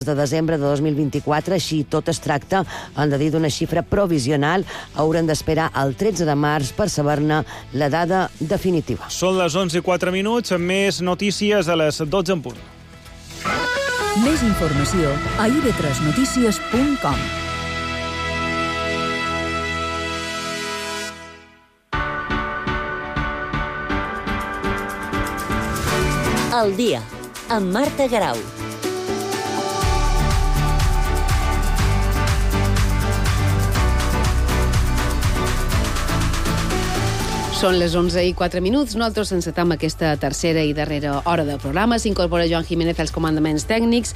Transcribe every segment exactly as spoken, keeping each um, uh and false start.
de desembre de dos mil vint-i-quatre, així tot es tracta, han de dir, d'una xifra provisional. Haurem d'esperar el tretze de març per saber-ne la dada definitiva. Són les onze i quatre minuts, amb més notícies a les dotze en punt. Més informació a i be tres notícies punt com. El dia, amb Marta Garau. Són les onze i quatre minuts. Nosaltres encetam aquesta tercera i darrera hora del programa. S'incorpora Joan Jiménez als comandaments tècnics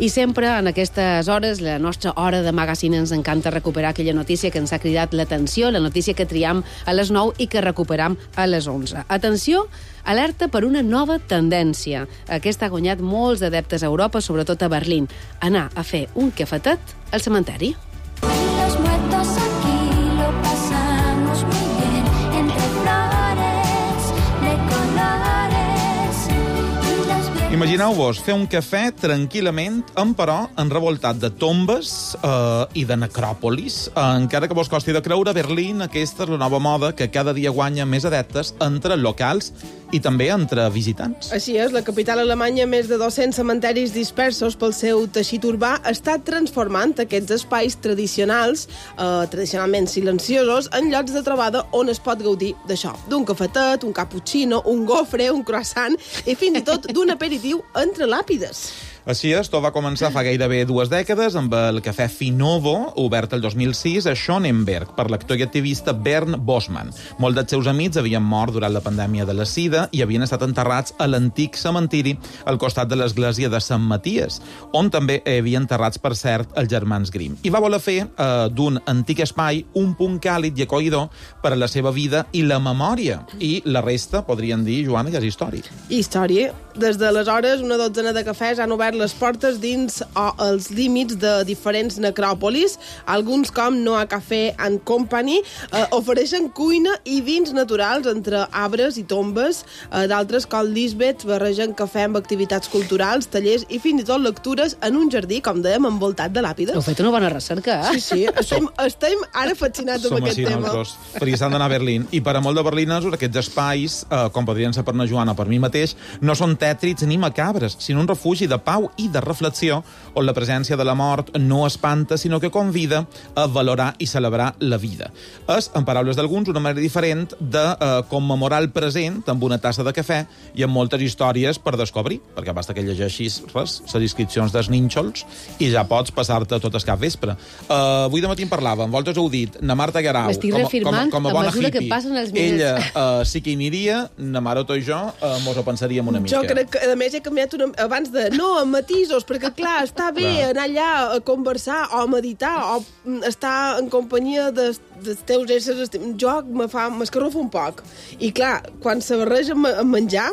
i sempre en aquestes hores, la nostra hora de magazine, ens encanta recuperar aquella notícia que ens ha cridat l'atenció, la notícia que triam a les nou i que recuperam a les onze. Atenció, alerta per una nova tendència. Aquesta ha guanyat molts adeptes a Europa, sobretot a Berlín. Anar a fer un cafetet al cementeri. Los muertos aquí lo pasamos muy bien, entre flores de colores y las viejas... Imagineu-vos fer un cafè tranquil·lament, emperò enrevoltat de tombes eh, i de necròpolis. Eh, encara que vos costi de creure, Berlín, aquesta és la nova moda que cada dia guanya més adeptes entre locals i també entre visitants. Així és, la capital alemanya, més de dos-cents cementeris dispersos pel seu teixit urbà, està transformant aquests espais tradicionals, eh, tradicionalment silenciosos, en llocs de trobada on es pot gaudir d'això, d'un cafetet, un cappuccino, un gofre, un croissant i fins i tot d'un aperitiu entre làpides. Així és, tot va començar fa gairebé dues dècades amb el cafè Finovo, obert el dos mil sis a Schöneberg per l'actor i activista Bernd Bosman. Molts dels seus amics havien mort durant la pandèmia de la sida i havien estat enterrats a l'antic cementiri al costat de l'església de Sant Maties, on també hi havia enterrats, per cert, els germans Grimm. I va voler fer eh, d'un antic espai un punt càlid i acollidor per a la seva vida i la memòria. I la resta, podrien dir, Joana, ja és història. Història. Des d'aleshores, una dotzena de cafès han obert les portes dins o els límits de diferents necròpolis. Alguns, com Noah Café and Company, eh, ofereixen cuina i vins naturals entre arbres i tombes. Eh, D'altres, com Lisbeth, barregen cafè amb activitats culturals, tallers i fins i tot lectures en un jardí, com dèiem, envoltat de làpides. Heu fet una bona recerca, eh? Sí, sí, estem, estem ara fascinats amb Som aquest així tema. nosaltres, perquè s'han d'anar a Berlín. I per a molt de berlinesos, aquests espais, eh, com podrien ser per na Joana o per mi mateix, no són tètrids ni macabres, sinó un refugi de pau i de reflexió, on la presència de la mort no espanta, sinó que convida a valorar i celebrar la vida. És, en paraules d'alguns, una manera diferent de eh, commemorar el present amb una tassa de cafè i amb moltes històries per descobrir, perquè basta que llegeixis res, les inscripcions dels nínxols i ja pots passar-te tot el cap vespre. Uh, avui de matí en parlàvem, vosaltres ho heu dit, na Marta Garau, M'estic com, reafirmant com, com a a bona mesura que hippie, passen els minuts. ella uh, sí que hi aniria, na Maroto i jo uh, mos ho pensaríem una mica. Jo crec que, a més, he canviat una, abans de no, amb matisos, perquè, clar, està bé Clar. anar allà a conversar o a meditar o mm, estar en companyia dels, dels teus éssers estim. Jo me fa, m'escarrufo un poc. I, clar, quan se barreja amb, amb menjar,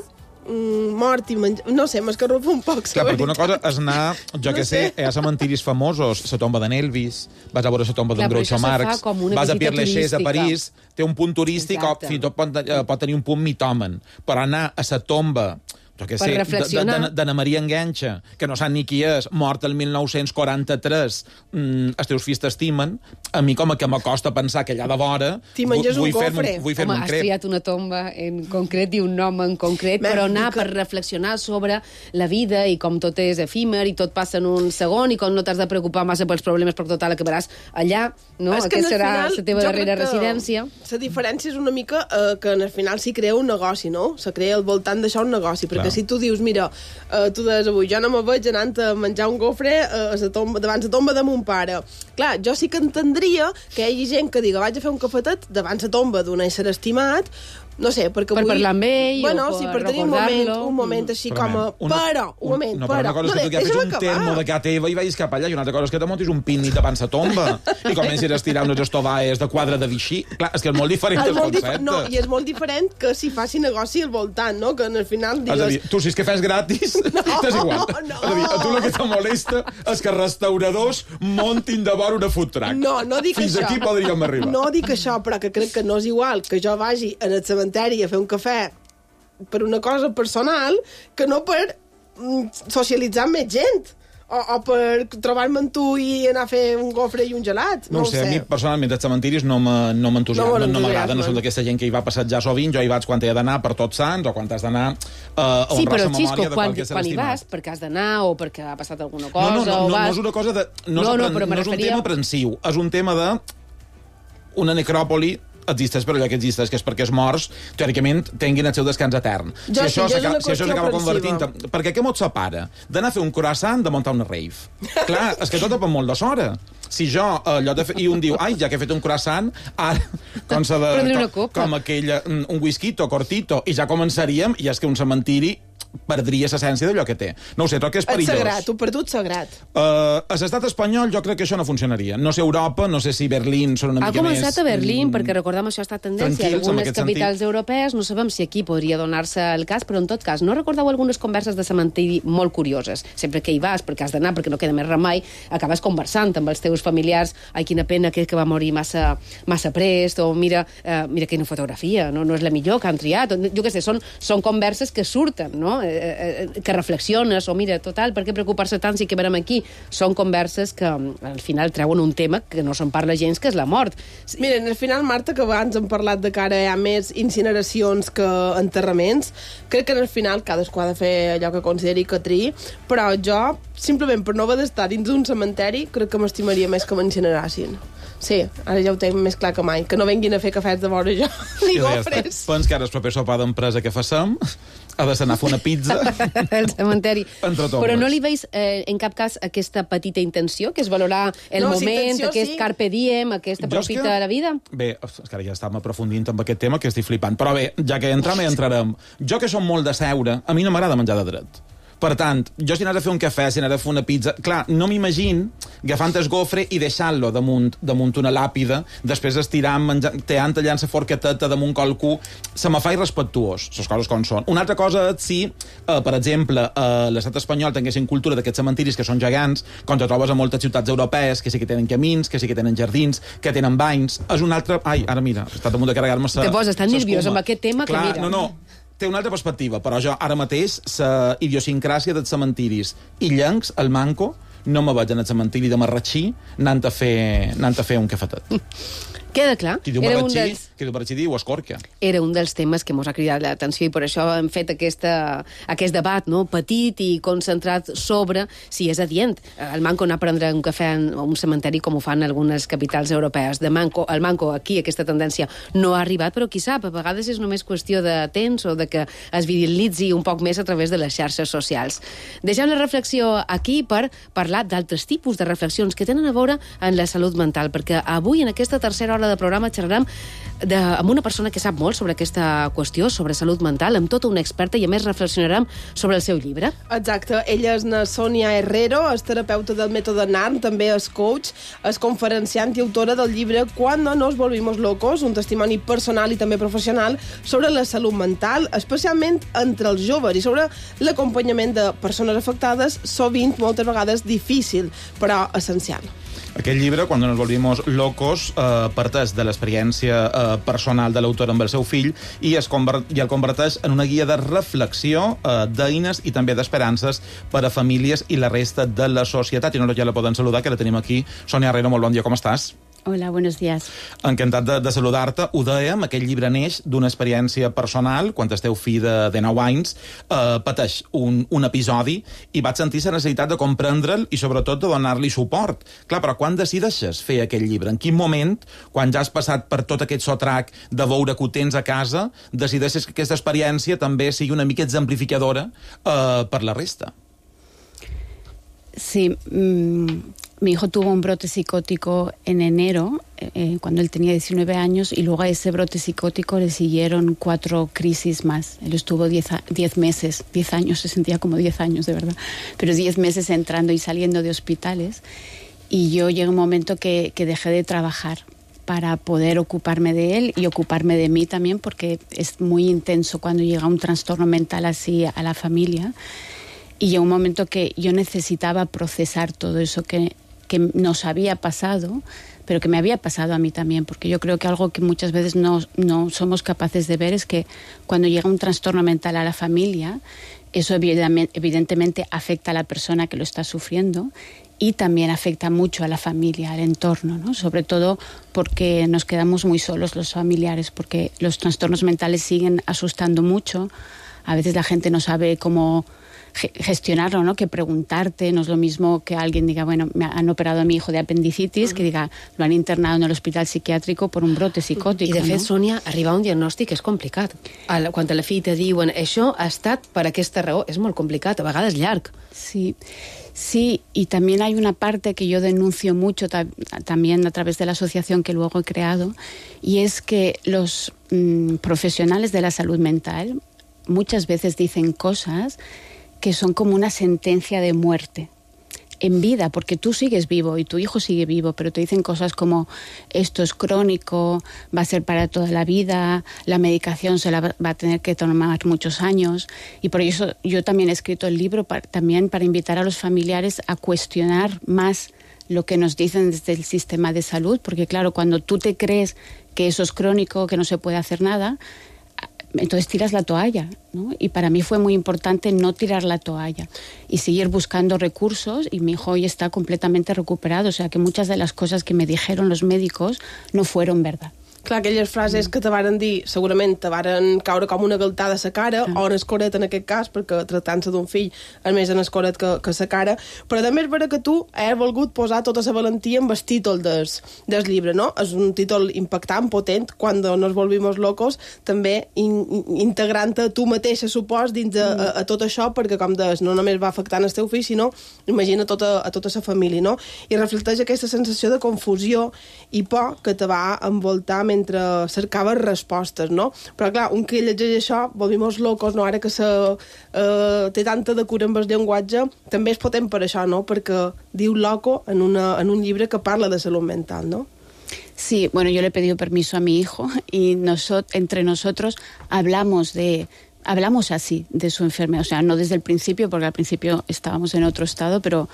mm, mort i menjar... No sé, m'escarrufo un poc, Clar, perquè una cosa és anar, jo No que sé, sé. a cementiris famosos, la tomba d'en Elvis, vas a veure la tomba Clar, d'en però Groucho això se Marx, fa com una vas a visita Pierre Lachaise a turística. París, té un punt turístic, o Exacte. fins i tot pot, eh, pot tenir un punt mitòmen, però anar a la tomba, jo que Per sé, reflexionar. d'Anna Maria Enganxa, que no sap ni qui és, mort el mil nou-cents quaranta-tres, mm, els teus fills t'estimen, a mi com a que m'acosta pensar que allà de vora T'hi menges un vull fer-me gofre. vull fer-me Home, un has crep. triat una tomba en concret i un nom en concret, Bé, però anar dic que- per reflexionar sobre la vida i com tot és efímer i tot passa en un segon i com no t'has de preocupar massa pels problemes perquè total acabaràs allà, no? És que Aquesta al serà final, la teva jo darrera crec que residència. La diferència és una mica eh, que al final s'hi crea un negoci, no? Se crea al voltant d'això un negoci, perquè Clar. si tu dius, mira, uh, tu deies avui, jo no me veig anant a menjar un gofre uh, a la tomba, davant la tomba de mon pare. Clar, jo sí que entendria que hi hagi gent que diga, vaig a fer un cafetet davant la tomba d'un ésser estimat, no sé, perquè Per vull... parlar amb ell bueno, o sí, per per tenir un moment, recordar-lo. un moment així Però, com a... una- Però, un moment, no, però però... una cosa és que tu deixa'm agafis un acabar. termo de casa teva i vagis cap allà, i una altra cosa és que te montis un pícnic davant la tomba i comencis a estirar unes estovaes de quadre de Vichy. Clar, és que és molt diferent És el molt concepte. dif- no, i és molt diferent que si faci negoci al voltant, no? Que al final És a dir, digues... tu si és que fes gratis, No, t'és igual. no. És a dir, a tu el que te molesta és que restauradors montin de vora una food truck. No, no dic Fins això. aquí podríem arribar. No dic això, però que crec que no és igual que jo vagi al cementeri a fer un cafè per una cosa personal que no per mm, socialitzar amb més gent. o, o per trobar-me amb tu i anar a fer un gofre i un gelat. No, no ho sé, a mi personalment els cementiris no m'entusiasmen, no m'agrada, no, no som d'aquesta gent que hi va passejar sovint, jo hi vaig quan he d'anar per Tots Sants o quan has d'anar uh, a sí, honrar la memòria Xisco, de quan, qualque ser quan hi estimat. vas, perquè has d'anar o perquè ha passat alguna cosa... No, no, no, o no, vas... no és una cosa de... No, no, és, no, però no és un referia... tema aprensiu, és un tema de... Una necròpoli existeix per allò que existeix, que és perquè els morts, teòricament, tinguin el seu descans etern. Jo si sí, això jo és una si això s'acaba qüestió convertint... Perquè què mos separa? D'anar a fer un croissant, de muntar una rave. Clar, és que tot depèn molt de s'hora. Si jo, allò de fer... I un diu, ai, ja que he fet un croissant, ara, com, s'ha de, com, com aquell, un whisquito, cortito, i ja començaríem, i és que un cementiri perdria l'essència d'allò que té. No ho sé, tot que és perillós. És sagrat, ho perdut sagrat. Uh, a l'estat espanyol jo crec que això no funcionaria. No sé Europa, no sé si Berlín són una ha mica més... Ha començat a Berlín, mm, perquè recordem això ha estat tendència en algunes capitals sentit. europees, no sabem si aquí podria donar-se el cas, però en tot cas, no recordeu algunes converses de cementiri molt curioses? Sempre que hi vas, perquè has d'anar, perquè no queda més remei, acabes conversant amb els teus familiars, ai, quina pena que, que va morir massa, massa prest, o mira, uh, mira quina fotografia, no, no és la millor que han triat, o, jo què sé, són, són converses que surten, no? Eh, eh, que reflexiones, o mira, total, per què preocupar-se tant si que verem aquí? Són converses que al final treuen un tema que no se'n parla gens, que és la mort. Miren, al final, Marta, que abans hem parlat de que ara hi ha més incineracions que enterraments, crec que al final cadascú ha de fer allò que consideri que triï, però jo, simplement per no haver d'estar dins d'un cementeri, crec que m'estimaria més que m'incinerassin. Sí, ara ja ho tinc més clar que mai. Que no venguin a fer cafès de vora jo, ni gofres. Pens que ara el proper sopar d'empresa que facem ha de anar a fer una pizza al cementeri. Entre tots. Però no li veus eh, en cap cas aquesta petita intenció, que és valorar el no, moment, sí, intenció, aquest sí. carpe diem, aquesta profita que... de la vida? Bé, és que ara ja estàvem aprofundint en aquest tema, que estic flipant. Però bé, ja que entram, hi entrarem. Jo que som molt de seure, a mi no m'agrada menjar de dret. Per tant, jo si anés a fer un cafè, si anés a fer una pizza... Clar, no m'imagino agafant el gofre i deixant-lo damunt, damunt una làpida, després estirant, menjant, teant, tallant la forqueteta damunt qualcú... Se me fa irrespectuós, les coses com són. Una altra cosa és si, eh, per exemple, a l'estat espanyol tinguessin cultura d'aquests cementiris que són gegants, com te trobes a moltes ciutats europees, que sí que tenen camins, que sí que tenen jardins, que tenen banys... És un altre... Ai, ara mira, he estat a punt de carregar-me sa... Te poses tan nerviós amb aquest tema Clar, que mira... No, no, té una altra perspectiva, però jo ara mateix la idiosincràsia dels cementiris i llencs, el manco, no me veig en el cementiri de Marratxí anant a fer, anant a fer un cafetet. Queda clar. Qui diu Era Marratxí, un dels... qui diu Marratxí diu Escòrquia. Era un dels temes que mos ha cridat l'atenció i per això hem fet aquesta, aquest debat, no? Petit i concentrat sobre si és adient el manco anar a prendre un cafè en un cementeri com ho fan algunes capitals europees. De manco, el manco aquí aquesta tendència no ha arribat, però qui sap, a vegades és només qüestió de temps o de que es viralitzi un poc més a través de les xarxes socials. Deixem la reflexió aquí per parlar d'altres tipus de reflexions que tenen a veure en la salut mental, perquè avui en aquesta tercera hora de programa xerrarem de, amb una persona que sap molt sobre aquesta qüestió, sobre salut mental, amb tota una experta, i a més reflexionarem sobre el seu llibre. Exacte, ella és na Sònia Herrero, és terapeuta del mètode N A R M, també és coach, és conferenciant i autora del llibre Cuando nos volvimos locos, un testimoni personal i també professional sobre la salut mental, especialment entre els joves i sobre l'acompanyament de persones afectades, sovint, moltes vegades, difícil, però essencial. Aquest llibre, Cuando nos volvimos locos, eh, parteix de l'experiència eh, personal de l'autor amb el seu fill i, es convert, i el converteix en una guia de reflexió, eh, d'eines i també d'esperances per a famílies i la resta de la societat. I no ja la poden saludar, que la tenim aquí. Sònia Herrero, molt bon dia, com estàs? Hola, buenos días. Encantat de, de saludar-te. Ho dèiem, aquest llibre neix d'una experiència personal, quan el teu fill de, de nou anys eh, pateix un, un episodi i vaig sentir la necessitat de comprendre'l i sobretot de donar-li suport. Clar, però quan decideixes fer aquest llibre? En quin moment, quan ja has passat per tot aquest sotrac de veure que ho tens a casa, decideixes que aquesta experiència també sigui una mica exemplificadora eh, per la resta? Sí, mmm... Mi hijo tuvo un brote psicótico en enero, eh, cuando él tenía diecinueve años, y luego a ese brote psicótico le siguieron cuatro crisis más. Él estuvo diez, diez meses, diez años, se sentía como diez años, de verdad, pero diez meses entrando y saliendo de hospitales. Y yo llegué a un momento que, que dejé de trabajar para poder ocuparme de él y ocuparme de mí también, porque es muy intenso cuando llega un trastorno mental así a la familia. Y llegó un momento que yo necesitaba procesar todo eso que... que nos había pasado, pero que me había pasado a mí también, porque yo creo que algo que muchas veces no, no somos capaces de ver es que cuando llega un trastorno mental a la familia, Eso evidentemente afecta a la persona que lo está sufriendo y también afecta mucho a la familia, al entorno, ¿no? Sobre todo porque nos quedamos muy solos los familiares, porque los trastornos mentales siguen asustando mucho. A veces la gente no sabe cómo gestionarlo, ¿no? Que preguntarte, no es lo mismo que alguien diga, bueno, me han operado a mi hijo de apendicitis, uh-huh. que diga, lo han internado en el hospital psiquiàtrico per un brote psicòtic. I de fet, no? Sònia, arribar a un diagnòstic és complicat. Quan a la fi te diuen això ha estat per aquesta raó, és molt complicat, a vegades llarg. Sí, sí, y también hay una parte que yo denuncio mucho ta- también a través de la asociación que luego he creado, y es que los mmm, profesionales de la salud mental muchas veces dicen cosas que son como una sentencia de muerte en vida, porque tú sigues vivo y tu hijo sigue vivo, pero te dicen cosas como esto es crónico, va a ser para toda la vida, la medicación se la va a tener que tomar muchos años, y por eso yo también he escrito el libro para, también para invitar a los familiares a cuestionar más lo que nos dicen desde el sistema de salud, porque claro, cuando tú te crees que eso es crónico, que no se puede hacer nada, entonces tiras la toalla, ¿no? Y para mí fue muy importante no tirar la toalla y seguir buscando recursos, y mi hijo hoy está completamente recuperado, o sea que muchas de las cosas que me dijeron los médicos no fueron verdad. Clar, aquelles frases que te varen dir, segurament te varen caure com una galtada a sa cara, ah. o en escoret en aquest cas, perquè tractant-se d'un fill és més en escoret que, que sa cara, però també és vera que tu has volgut posar tota la valentia en el títol del, del llibre, no? És un títol impactant, potent, quan nos volvimos locos, també in, in, integrant-te tu mateixa, supos, dins de, mm. a, a tot això, perquè, com deies, no només va afectant el teu fill, sinó, imagina, tota, a tota la família, no? I reflecteix aquesta sensació de confusió i por que te va envoltar mentre cercaves respostes, no? Però clar, un que llegeix això, volvimos locos, no? Ara que se, eh, té tanta de cura amb el llenguatge, també és potent per això, no? Perquè diu loco en, una, en un llibre que parla de salut mental, no? Sí, bueno, yo le he pedido permiso a mi hijo y nosotros, entre nosotros hablamos de... Hablamos así de su enfermedad, o sea, no desde el principio, porque al principio estábamos en otro estado, pero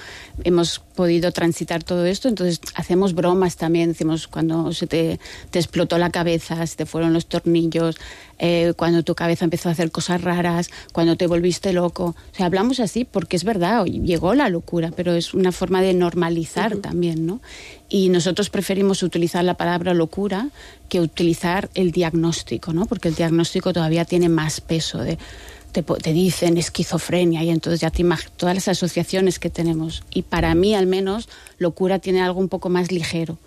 hemos podido transitar todo esto, entonces hacemos bromas también, decimos cuando se te, te explotó la cabeza, se te fueron los tornillos, eh, cuando tu cabeza empezó a hacer cosas raras, cuando te volviste loco, o sea, hablamos así porque es verdad, llegó la locura, pero es una forma de normalizar uh-huh. también, ¿no? Y nosotros preferimos utilizar la palabra locura que utilizar el diagnóstico, ¿no? Porque el diagnóstico todavía tiene más peso. De, te, te dicen esquizofrenia y entonces ya te imaginas todas las asociaciones que tenemos. Y para mí, al menos, locura tiene algo un poco más ligero,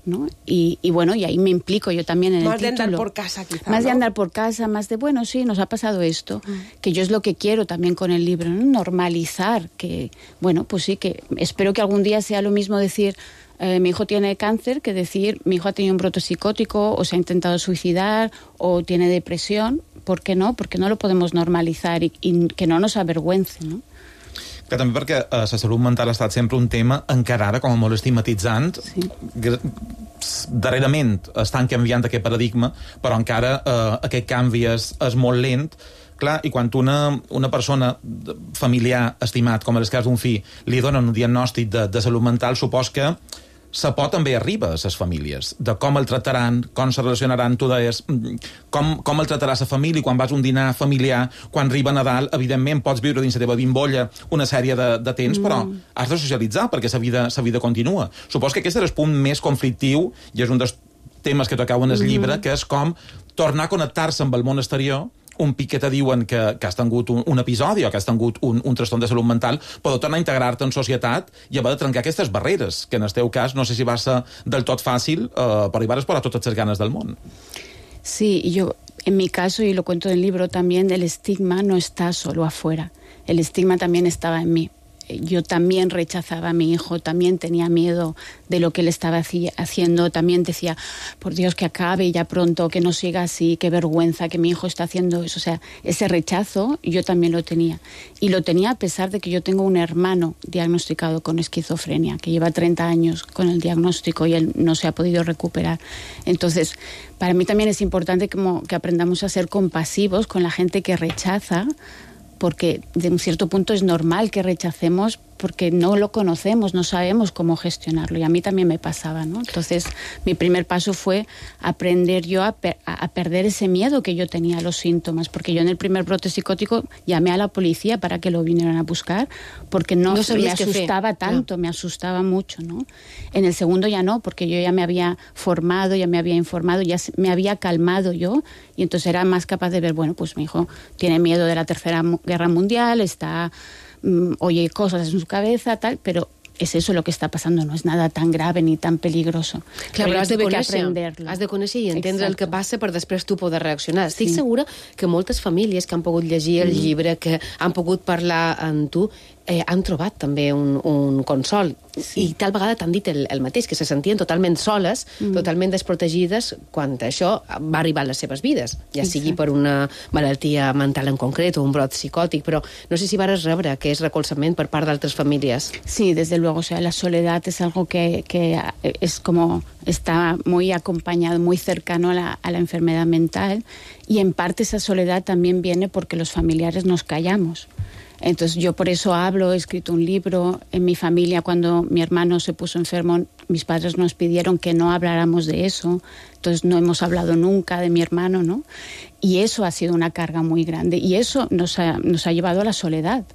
¿no? Y, y bueno, y ahí me implico yo también en más el título. Más de andar por casa, quizá, Más ¿no? de andar por casa, más de, bueno, sí, nos ha pasado esto, mm. que yo es lo que quiero también con el libro, ¿no? Normalizar, que, bueno, pues sí, que espero que algún día sea lo mismo decir... Eh, mi hijo tiene cáncer, que decir mi hijo ha tenido un brote psicótico o se ha intentado suicidar o tiene depresión. ¿Por qué no? Porque no lo podemos normalizar y, y que no nos avergüence, ¿no? Que també perquè eh, la salut mental ha estat sempre un tema encara ara com a molt estigmatitzant. Sí. Darrerament estan canviant aquest paradigma, però encara eh, aquest canvi és, és molt lent. Clar, i quan una, una persona familiar estimat, com en el cas d'un fill, li donen un diagnòstic de, de salut mental, supos que la por també arriba a les famílies, de com el trataran, com se relacionaran, tu deies, com, com el tratarà la família, quan vas a un dinar familiar, quan arriba Nadal, evidentment pots viure dins la teva bimbolla una sèrie de, de temps, mm. però has de socialitzar perquè la vida, la vida continua. Supos que aquest és el punt més conflictiu i és un dels temes que tocaven en el llibre, mm. que és com tornar a connectar-se amb el món exterior, un pic que te diuen que, que has tingut un, un episodi o que has tingut un, un trastorn de salut mental, però tornar a integrar-te en societat i haver de trencar aquestes barreres, que en el teu cas no sé si va ser del tot fàcil, eh, però hi vas posar totes les ganes del món. Sí, yo, en mi caso, y lo cuento en el libro también, el estigma no está solo afuera, el estigma también estaba en mí. Yo también rechazaba a mi hijo, también tenía miedo de lo que él estaba haciendo, también decía, por Dios, que acabe ya pronto, que no siga así, qué vergüenza que mi hijo está haciendo eso. O sea, ese rechazo yo también lo tenía. Y lo tenía a pesar de que yo tengo un hermano diagnosticado con esquizofrenia, que lleva treinta años con el diagnóstico y él no se ha podido recuperar. Entonces, para mí también es importante como que aprendamos a ser compasivos con la gente que rechaza, porque de un cierto punto es normal que rechacemos porque no lo conocemos, no sabemos cómo gestionarlo, y a mí también me pasaba, ¿no? Entonces, mi primer paso fue aprender yo a, per- a perder ese miedo que yo tenía a los síntomas, porque yo en el primer brote psicótico llamé a la policía para que lo vinieran a buscar, porque no, No me sabías qué asustaba fer. tanto, Clar. me asustaba mucho, ¿no? En el segundo ya no, porque yo ya me había formado, ya me había informado, ya me había calmado yo, y entonces era más capaz de ver, bueno, pues mi hijo tiene miedo de la Tercera Guerra Mundial, está, mm, oye cosas en su cabeza, tal, pero és eso lo que està passant, no és nada tan grave ni tan peligroso. Clar, però has de, conèixer, aprenderlo. has de conèixer i entendre Exacto. el que passa per després tu poder reaccionar. Estic Sí. segura que moltes famílies que han pogut llegir el llibre, que han pogut parlar amb tu, eh, han trobat també un, un consol. Sí. I tal vegada t'han dit el, el mateix, que se sentien totalment soles, mm. totalment desprotegides quan això va arribar a les seves vides, ja sigui per una malaltia mental en concret o un brot psicòtic, però no sé si vares rebre aquest recolzament per part d'altres famílies. Sí, desde luego, o sea, la soledad es algo que, que es como, está muy acompañado, muy cercano a la, a la enfermedad mental, y en parte esa soledad también viene porque los familiares nos callamos. Entonces yo por eso hablo, he escrito un libro. En mi familia, cuando mi hermano se puso enfermo, mis padres nos pidieron que no habláramos de eso, entonces no hemos hablado nunca de mi hermano, ¿no? Y eso ha sido una carga muy grande, y eso nos ha, nos ha llevado a la soledad.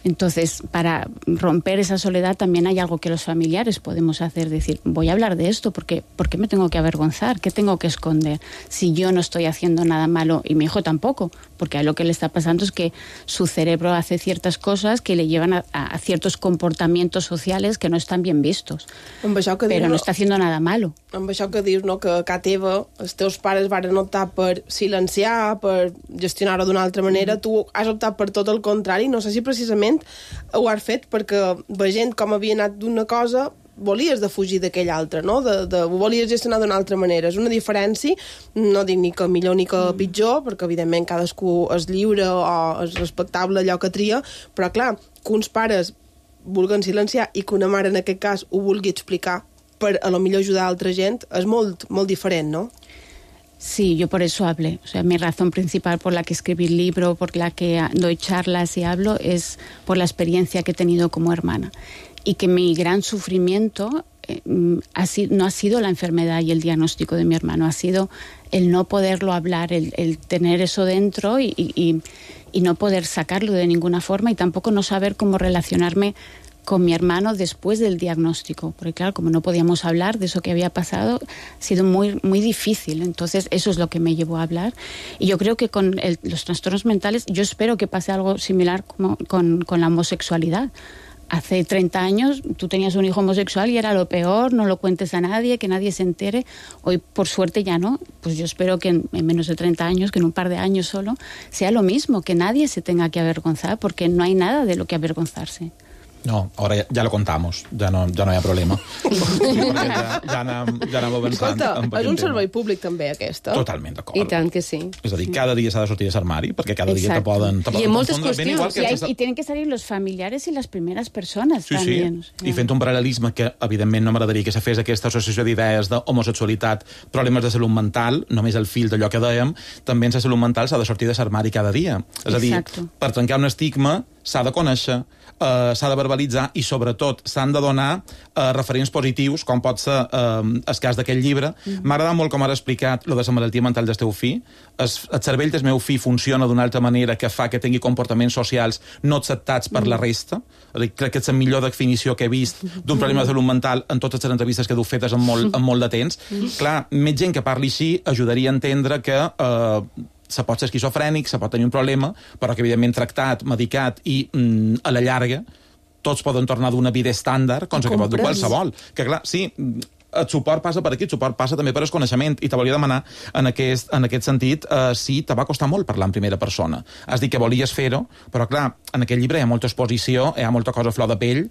Entonces, para romper esa soledad también hay algo que los familiares podemos hacer, decir, voy a hablar de esto, porque ¿por qué me tengo que avergonzar? ¿Qué tengo que esconder? Si yo no estoy haciendo nada malo, y mi hijo tampoco, porque a lo que le está pasando es que su cerebro hace ciertas cosas que le llevan a, a ciertos comportamientos sociales que no están bien vistos. Amb això que Pero dius, no está haciendo nada malo. amb això que dius, no, que a casa teva els teus pares varen optar per silenciar, per gestionar-ho d'una altra manera, tu has optat per tot el contrari. No sé si precisament ho has fet perquè veient com havia anat d'una cosa volies de fugir d'aquella altra, no? De, de, ho volies gestionar d'una altra manera. És una diferència, no dic ni que millor ni que pitjor, perquè evidentment cadascú és lliure o és respectable allò que tria, però clar, que uns pares vulguen silenciar i que una mare en aquest cas ho vulgui explicar per a lo millor ajudar a altra gent és molt, molt diferent, no? Sí, yo por eso hablé. O sea, mi razón principal por la que escribí el libro, por la que doy charlas y hablo, es por la experiencia que he tenido como hermana. Y que mi gran sufrimiento eh, ha sido, no ha sido la enfermedad y el diagnóstico de mi hermano, ha sido el no poderlo hablar, el, el tener eso dentro y, y, y no poder sacarlo de ninguna forma, y tampoco no saber cómo relacionarme con mi hermano después del diagnóstico, porque claro, como no podíamos hablar de eso que había pasado, ha sido muy, muy difícil. Entonces eso es lo que me llevó a hablar, y yo creo que con el, los trastornos mentales, yo espero que pase algo similar como con, con la homosexualidad. Hace treinta años tú tenías un hijo homosexual y era lo peor, no lo cuentes a nadie, que nadie se entere. Hoy, por suerte, ya no. Pues yo espero que en, en menos de treinta años, que en un par de años solo, sea lo mismo, que nadie se tenga que avergonzar, porque no hay nada de lo que avergonzarse. No, ahora ya, ya lo contamos, ya no, ya no hi ha problema. ja, ja, anem, ja anem avançant. Escolta, és un servei públic també, aquesta. Totalment d'acord. I tant que sí. És a dir, cada dia s'ha de sortir de l'armari, perquè cada dia te Exacto. poden, te I poden en moltes confondre. Ben igual qüestions. que Y, hay- s'està- y tienen que salir los familiares y las primeras personas Sí, también. sí, o sea. i fent un paral·lelisme que, evidentment, no m'agradaria que se fes aquesta associació d'idees d'homosexualitat, problemes de salut mental, només el fil d'allò que dèiem, també en la salut mental s'ha de sortir de l'armari cada dia. És a dir, Exacto. per trencar un estigma s'ha de conèixer, eh, s'ha de verbalitzar i, sobretot, s'han de donar eh, referents positius, com pot ser eh, el cas d'aquest llibre. Mm. M'ha agradat molt com ara explicat lo de la malaltia mental del teu fill. Es, el cervell del meu fill funciona d'una altra manera que fa que tingui comportaments socials no acceptats per mm. la resta. És a dir, crec que és la millor definició que he vist d'un problema de salut mental en totes les entrevistes que heu fetes en molt, en molt de temps. Mm. Clar, més gent que parli així ajudaria a entendre que eh, se pot ser esquizofrènic, se pot tenir un problema, però que, evidentment, tractat, medicat i, mm, a la llarga, tots poden tornar d'una vida estàndard, com que pot dur qualsevol. Que, clar, sí, el suport passa per aquí, el suport passa també per el coneixement, i te volia demanar, en aquest, en aquest sentit, eh, si te va costar molt parlar en primera persona. Has dit que volies fer-ho, però, clar, en aquest llibre hi ha molta exposició, hi ha molta cosa a flor de pell,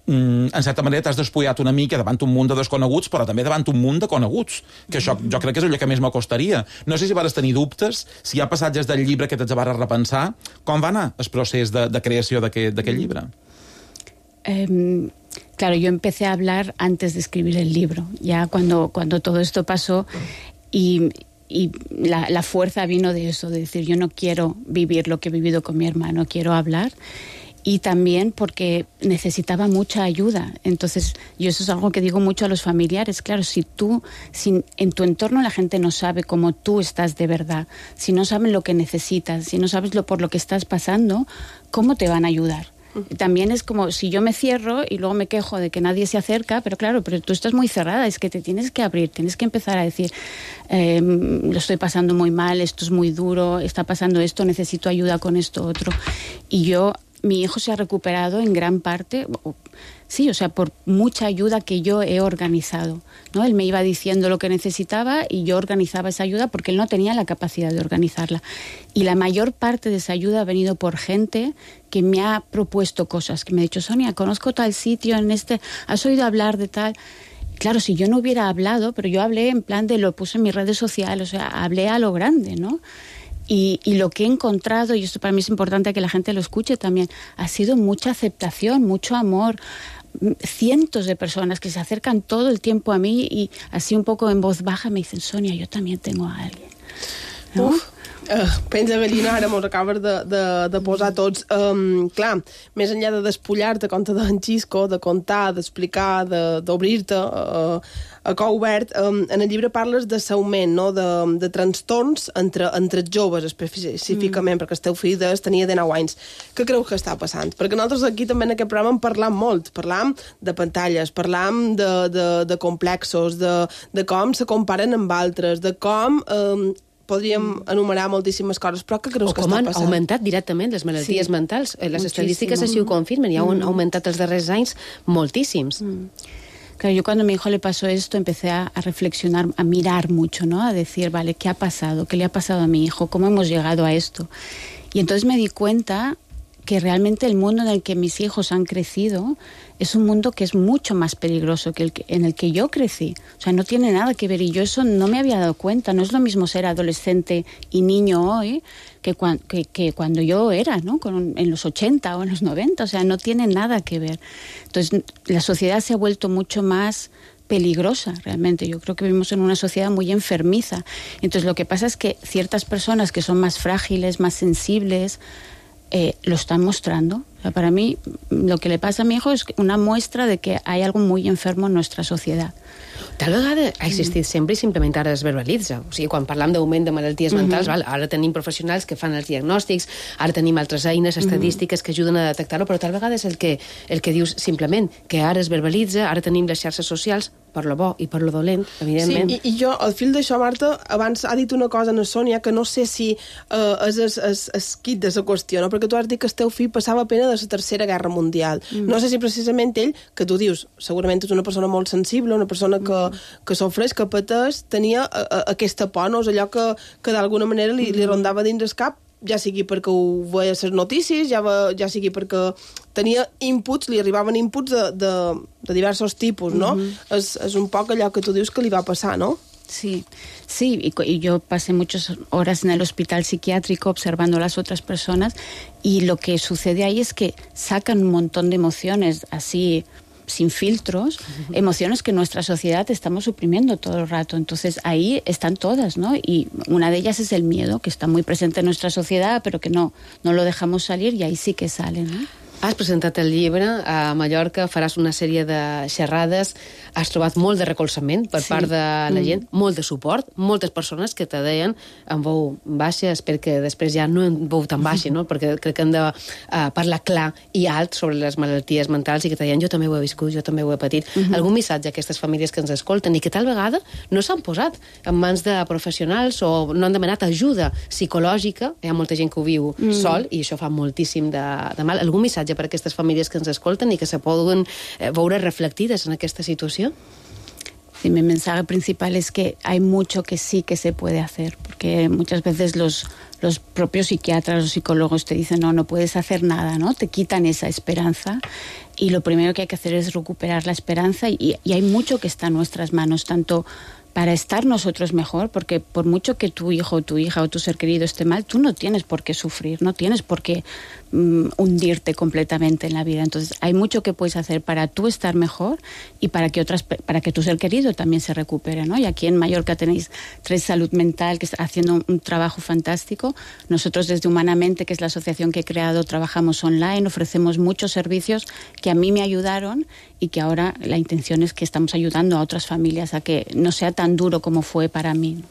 mm, en certa manera t'has despullat una mica davant un munt de desconeguts, però també davant un munt de coneguts, que això jo crec que és allò que més m'acostaria. No sé si vares tenir dubtes, si hi ha passatges del llibre que t'has de repensar, com va anar el procés de, de creació d'aquest llibre? Eh, claro, yo empecé a hablar antes de escribir el libro, ya cuando, cuando todo esto pasó, y, y la, la fuerza vino de eso, de decir, yo no quiero vivir lo que he vivido con mi hermano, quiero hablar. y también porque necesitaba mucha ayuda. Entonces, yo eso es algo que digo mucho a los familiares. Claro, si tú, si en tu entorno la gente no sabe cómo tú estás de verdad, si no saben lo que necesitas, si no sabes lo por lo que estás pasando, ¿cómo te van a ayudar? También es como si yo me cierro y luego me quejo de que nadie se acerca, pero claro, pero tú estás muy cerrada, es que te tienes que abrir, tienes que empezar a decir, eh, lo estoy pasando muy mal, esto es muy duro, está pasando esto, necesito ayuda con esto otro. Y yo, mi hijo se ha recuperado en gran parte, sí, o sea, por mucha ayuda que yo he organizado, ¿no? Él me iba diciendo lo que necesitaba y yo organizaba esa ayuda porque él no tenía la capacidad de organizarla. Y la mayor parte de esa ayuda ha venido por gente que me ha propuesto cosas, que me ha dicho, Sonia, conozco tal sitio, en este, ¿has oído hablar de tal? Claro, si yo no hubiera hablado, pero yo hablé en plan de lo puse en mis redes sociales, o sea, hablé a lo grande, ¿no? Y, y lo que he encontrado, y esto para mí es importante que la gente lo escuche también, ha sido mucha aceptación, mucho amor, cientos de personas que se acercan todo el tiempo a mí y así un poco en voz baja me dicen, Sonia, yo también tengo a alguien, ¿no? Uf. Uh, pensa, Belina, ara mos acabes de, de, de posar tots. Um, clar, més enllà de despullar-te, com te deia en Xisco, de contar, d'explicar, d'obrir-te uh, a cor obert, um, en el llibre parles de saugment, no? de, de trastorns entre, entre joves, específicament, mm. perquè el teu fill des, tenia dinou anys. Què creus que està passant? Perquè nosaltres aquí també en aquest programa en parlam molt. Parlam de pantalles, parlam de, de, de complexos, de, de com se comparen amb altres, de com... Um, podríem enumerar moltíssimes coses, però què creus o que està passant? O com han augmentat directament les malalties sí. mentals. Les Moltíssim. Estadístiques així ho confirmen, i han mm. augmentat els darrers anys moltíssims. Mm. Claro, yo cuando a mi hijo le pasó esto empecé a, a reflexionar, a mirar mucho, ¿no? A decir, vale, ¿qué ha pasado? ¿Qué le ha pasado a mi hijo? ¿Cómo hemos llegado a esto? Y entonces me di cuenta que realmente el mundo en el que mis hijos han crecido es un mundo que es mucho más peligroso que el que, en el que yo crecí. O sea, no tiene nada que ver, y yo eso no me había dado cuenta. No es lo mismo ser adolescente y niño hoy que, cuan, que, que cuando yo era, ¿no? Con, en los ochenta o en los noventa. O sea, no tiene nada que ver. Entonces, la sociedad se ha vuelto mucho más peligrosa, realmente. Yo creo que vivimos en una sociedad muy enfermiza. Entonces, lo que pasa es que ciertas personas que son más frágiles, más sensibles, Eh, lo están mostrando. O sea, para mí, lo que le pasa a mi hijo es una muestra de que hay algo muy enfermo en nuestra sociedad. Tal vegada ha existit sempre i simplement ara es verbalitza. O sigui, quan parlam d'augment de malalties mentals, mm-hmm. val, ara tenim professionals que fan els diagnòstics, ara tenim altres eines estadístiques mm-hmm. que ajuden a detectar-ho, però tal vegada és el que, el que dius simplement, que ara es verbalitza, ara tenim les xarxes socials, per lo bo i per lo dolent, evidentment. Sí, i, i jo, al fil d'això, Marta, abans ha dit una cosa a Sònia que no sé si uh, és el, el, el quid de la qüestió, no? Perquè tu has dit que el teu fill passava pena de la Tercera Guerra Mundial. Mm. No sé si precisament ell, que tu dius, segurament és una persona molt sensible, una persona que, mm. que sofreix, que pateix, tenia a, a, aquesta por, no? És allò que, que d'alguna manera li, li rondava dins el cap, ja sigui perquè ho veia a les notícies, ja, va, ja sigui perquè tenia inputs, li arribaven inputs de, de, de diversos tipus, no? Mm-hmm. és, és un poc allò que tu dius que li va passar, no? Sí, sí, y, y yo pasé muchas horas en el hospital psiquiátrico observando a las otras personas, y lo que sucede ahí es que sacan un montón de emociones así, sin filtros, uh-huh. emociones que nuestra sociedad estamos suprimiendo todo el rato. Entonces ahí están todas, ¿no? Y una de ellas es el miedo, que está muy presente en nuestra sociedad, pero que no, no lo dejamos salir, y ahí sí que sale, ¿no? Has presentat el llibre a Mallorca, faràs una sèrie de xerrades, has trobat molt de recolzament per sí. part de la gent, mm. molt de suport, moltes persones que te deien en veu baixa, espero que després ja no en veu tan baixa, no? Perquè crec que hem de uh, parlar clar i alt sobre les malalties mentals, i que te deien jo també ho he viscut, jo també ho he patit. Mm-hmm. Algun missatge a aquestes famílies que ens escolten i que tal vegada no s'han posat en mans de professionals o no han demanat ajuda psicològica, hi ha molta gent que ho viu mm. sol i això fa moltíssim de, de mal. Algun missatge per a aquestes famílies que ens escolten i que se poden eh, veure reflectides en aquesta situació? Sí, mi mensaje principal es que hay mucho que sí que se puede hacer, porque muchas veces los, los propios psiquiatras o psicólogos te dicen no, no puedes hacer nada, ¿no? Te quitan esa esperanza, y lo primero que hay que hacer es recuperar la esperanza, y, y hay mucho que está en nuestras manos, tanto para estar nosotros mejor, porque por mucho que tu hijo o tu hija o tu ser querido esté mal, tú no tienes por qué sufrir, no tienes por qué um, hundirte completamente en la vida. Entonces hay mucho que puedes hacer para tú estar mejor y para que otras, para que tu ser querido también se recupere, ¿no? Y aquí en Mallorca tenéis Tres Salud Mental, que está haciendo un, un trabajo fantástico. Nosotros desde Humanamente, que es la asociación que he creado, trabajamos online, ofrecemos muchos servicios que a mí me ayudaron y que ahora la intención es que estamos ayudando a otras familias a que no sea tan duro como fue para mí.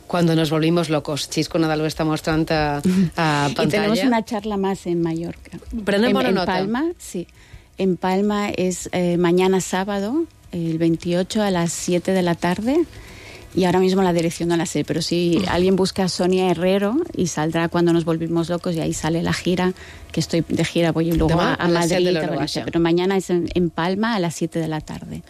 Cuando nos volvimos locos. Chisco Nadal lo está mostrando a, a pantalla. Y tenemos una charla más en Mallorca. Prenem bona en, en nota. Palma, sí. En Palma es eh, mañana sábado, el veintiocho a las siete de la tarde. Y ahora mismo la dirección no la sé, pero si alguien busca a Sonia Herrero y saldrá Cuando nos volvimos locos y ahí sale la gira, que estoy de gira, voy luego Demà, a, a a les set de Madrid, l'hora a baixa. pero mañana es en, en Palma a las siete de la tarde.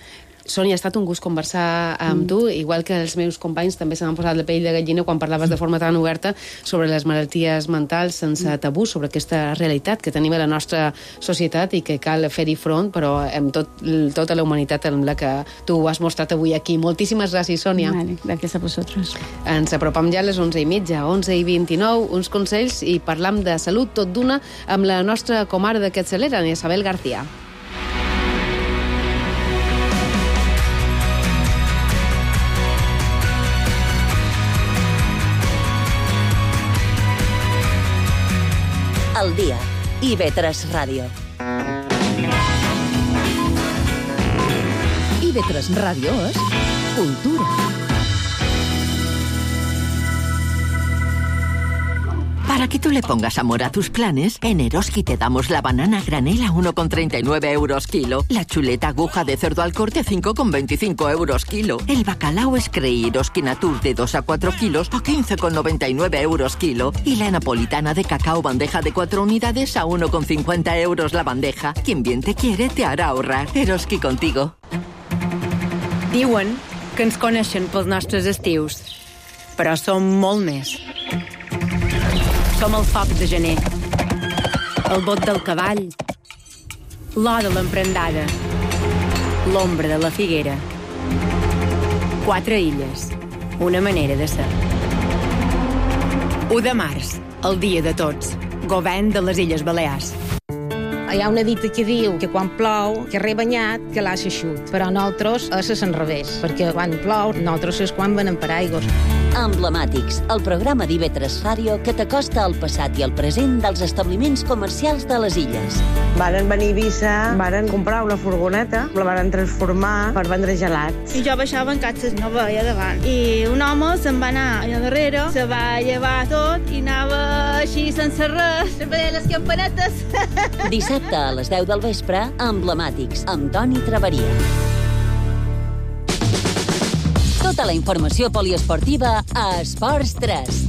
Sònia, ha estat un gust conversar amb mm. tu, igual que els meus companys també se m'han posat la pell de gallina quan parlaves de forma tan oberta sobre les malalties mentals sense tabú, sobre aquesta realitat que tenim a la nostra societat i que cal fer-hi front, però amb tot, tota la humanitat amb la que tu has mostrat avui aquí. Moltíssimes gràcies, Sònia. Vale, gràcies a vosaltres. Ens apropam ja a les onze i mitja, onze i vint-i-nou, uns consells i parlam de salut tot d'una amb la nostra comare de Capçalera, Isabel García. El dia. I ve tres Ràdio. I ve tres Ràdio és cultura. Para que tú le pongas amor a tus planes, en Eroski te damos la banana granel a uno con treinta y nueve euros kilo, la chuleta aguja de cerdo al corte a cinco con veinticinco euros kilo, el bacalao Screi Eroski Natur de dos a cuatro kilos a quince con noventa y nueve euros kilo y la napolitana de cacao bandeja de cuatro unidades a uno con cincuenta euros la bandeja. Quien bien te quiere te hará ahorrar. Eroski contigo. Diuen que ens coneixen pels nostres estius, però som molt més. Som el foc de gener, el bot del cavall, l'or de l'emprendada, l'ombra de la figuera. Quatre illes, una manera de ser. u de març, el dia de tots, govern de les Illes Balears. Hi ha una dita que diu que quan plou, que rebanyat, que l'aixa xut. Però nosaltres és a l'enrevés, perquè quan plou, nosaltres és quan venem per aigües. Emblemàtics, el programa d'I V tres Ràdio que t'acosta al passat i al present dels establiments comercials de les illes. Varen venir a Eivissa, varen comprar una furgoneta, la varen transformar per vendre gelats. I jo baixava en catxes, no veia davant. I un home se'n va anar allà darrere, se va llevar tot i anava així sense res, sempre deia les campanetes. Dissabte a les deu del vespre, Emblemàtics, amb Toni Traveria. Tota la informació poliesportiva a Esports tres.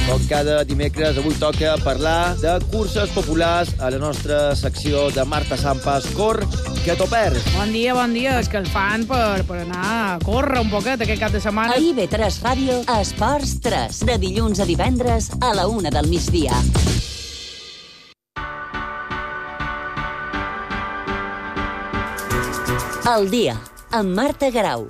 Com cada dimecres, avui toca parlar de curses populars a la nostra secció de Marta Sampas. Cor, que t'ho perds. Bon dia, bon dia. És que el fan per, per anar a córrer un poquet aquest cap de setmana. A I V tres Ràdio, a Esports tres. De dilluns a divendres a la una del migdia. El dia, amb Marta Garau.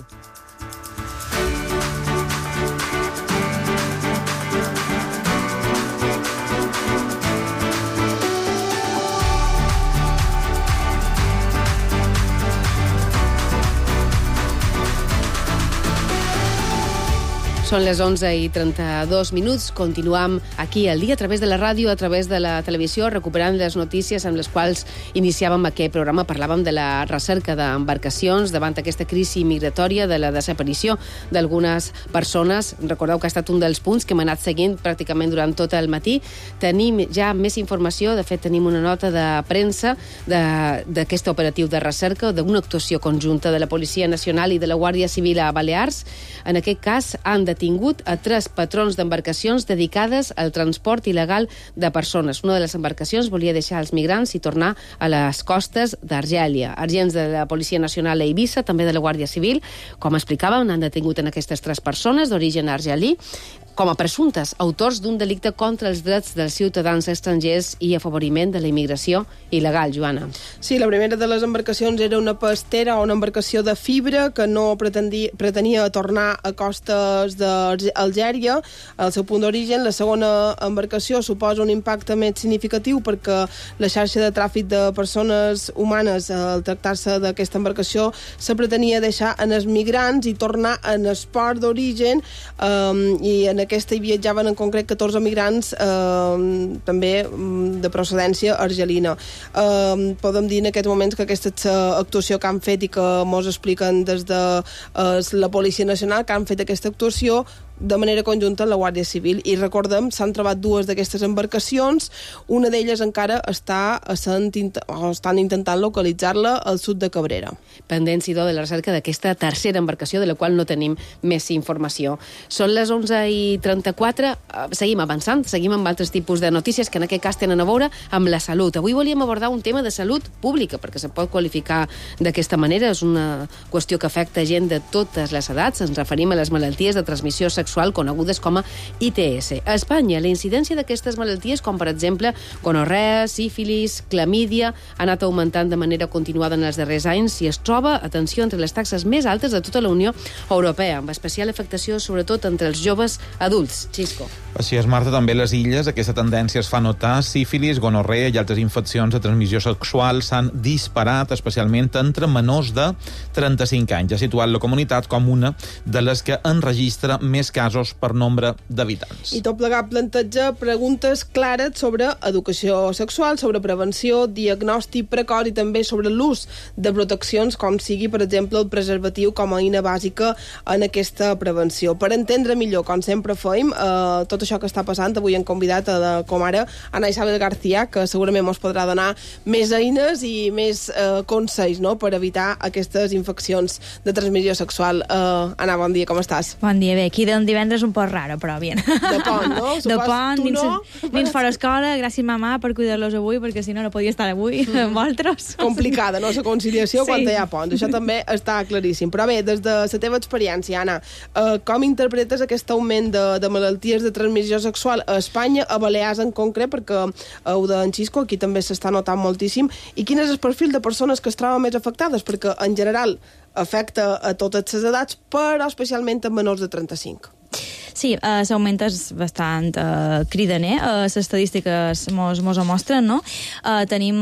Són les onze i trenta-dos minuts. Continuam aquí al dia a través de la ràdio, a través de la televisió, recuperant les notícies amb les quals iniciàvem aquest programa. Parlàvem de la recerca d'embarcacions davant aquesta crisi migratòria, de la desaparició d'algunes persones. Recordeu que ha estat un dels punts que hem anat seguint pràcticament durant tot el matí. Tenim ja més informació, de fet tenim una nota de premsa d'aquest operatiu de recerca, d'una actuació conjunta de la Policia Nacional i de la Guàrdia Civil a Balears. En aquest cas han detingut a tres patrons d'embarcacions dedicades al transport il·legal de persones. Una de les embarcacions volia deixar els migrants i tornar a les costes d'Argèlia. Agents de la Policia Nacional a Eivissa, també de la Guàrdia Civil, com explicàvem, han detingut en aquestes tres persones d'origen argelí. com a presumptes autors d'un delicte contra els drets dels ciutadans estrangers i afavoriment de la immigració il·legal, Joana. Sí, la primera de les embarcacions era una pastera o una embarcació de fibra que no pretendia, pretenia tornar a costes d'Algèria, al seu punt d'origen. La segona embarcació suposa un impacte més significatiu perquè la xarxa de tràfic de persones humanes, al tractar-se d'aquesta embarcació, se pretenia deixar en els migrants i tornar en el port d'origen, um, i en aquesta hi viatjaven en concret catorze migrants, um, també um, de procedència argelina. Um, podem dir en aquests moments que aquesta és l'actuació que han fet i que mos expliquen des de uh, la Policia Nacional, que han fet aquesta actuació de manera conjunta amb la Guàrdia Civil. I recordem, s'han trobat dues d'aquestes embarcacions, una d'elles encara està sent, o estan intentant localitzar-la al sud de Cabrera. Pendent, Sidó, de la recerca d'aquesta tercera embarcació, de la qual no tenim més informació. Són les onze i trenta-quatre, seguim avançant, seguim amb altres tipus de notícies que en aquest cas tenen a veure amb la salut. Avui volíem abordar un tema de salut pública, perquè se pot qualificar d'aquesta manera, és una qüestió que afecta gent de totes les edats, ens referim a les malalties de transmissió sexual sexual conegudes com a I T S. A Espanya, la incidència d'aquestes malalties, com per exemple gonorrea, sífilis, clamídia, ha anat augmentant de manera continuada en els darrers anys i es troba, atenció, entre les taxes més altes de tota la Unió Europea, amb especial afectació sobretot entre els joves adults. Xisco. Així és, Marta, també a les illes aquesta tendència es fa notar. Sífilis, gonorrea i altres infeccions de transmissió sexual s'han disparat, especialment entre menors de trenta-cinc anys. Ha situat la comunitat com una de les que enregistra més casos per nombre d'habitants. I tot plegat planteja preguntes clares sobre educació sexual, sobre prevenció, diagnòstic precoç i també sobre l'ús de proteccions, com sigui, per exemple, el preservatiu com a eina bàsica en aquesta prevenció. Per entendre millor, com sempre fem, eh, tot això que està passant, avui hem convidat a, com ara, Ana Isabel García, que segurament ens podrà donar més eines i més eh, consells, no?, per evitar aquestes infeccions de transmissió sexual. Eh, Ana, bon dia, com estàs? Bon dia, bé, aquí del divendres un poc raro, però bien. De pont, no? De pont, nins, no? nins fora escola, gràcies mamà per cuidar-los avui, perquè si no no podia estar avui mm. amb altres. Complicada, no?, la conciliació sí. quan hi ha pont. Això també està claríssim. Però bé, des de la teva experiència, Anna, eh, com interpretes aquest augment de, de malalties de transmissió sexual a Espanya, a Balears en concret, perquè heu d'en Xisco, aquí també s'està notant moltíssim, i quin és el perfil de persones que es troben més afectades? Perquè, en general, afecta a totes les edats, però especialment a menors de trenta-cinc. Sí, eh, l'augment és bastant eh, cridaner, eh, les estadístiques mos, mos ho mostren, no? Eh, tenim,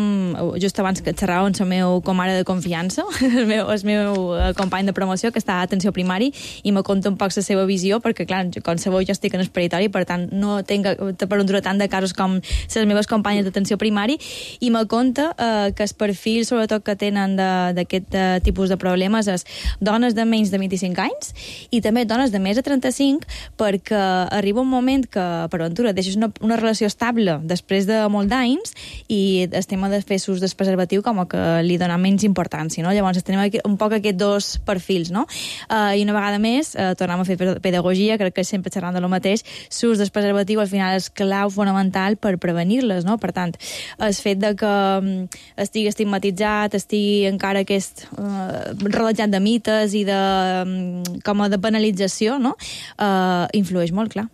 just abans que xerrava amb el meu comare de confiança, el meu, el meu company de promoció, que està a atenció primari, i me conta un poc la seva visió, perquè, clar, com sabeu, jo estic en el peritori, per tant, no tinc per un tant de casos com les meves companyes d'atenció primari, i me conta eh, que el perfil, sobretot, que tenen d'aquest eh, tipus de problemes és dones de menys de vint-i-cinc anys i també dones de més de trenta-cinc, perquè arriba un moment que, per ventura, deixes una, una relació estable després de molt d'anys i el tema de fer ús del preservatiu com que li dona menys importància, no? Llavors tenim aquí, un poc aquests dos perfils, no? Uh, I una vegada més, uh, tornem a fer pedagogia, crec que sempre xerrant de lo mateix, l'ús del preservatiu al final és clau fonamental per prevenir-les, no? Per tant, el fet de que um, estigui estigmatitzat, estigui encara aquest uh, rodejat de mites i de, um, com a de penalització, no? Uh, influeix molt, clar,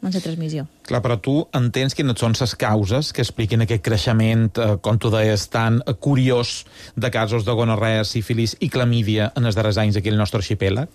en la transmissió. Clar, però tu entens quines són les causes que expliquen aquest creixement, eh, com tu deies, tan curiós de casos de gonorrea, sífilis i clamídia en els darrers anys aquí al nostre arxipèlag?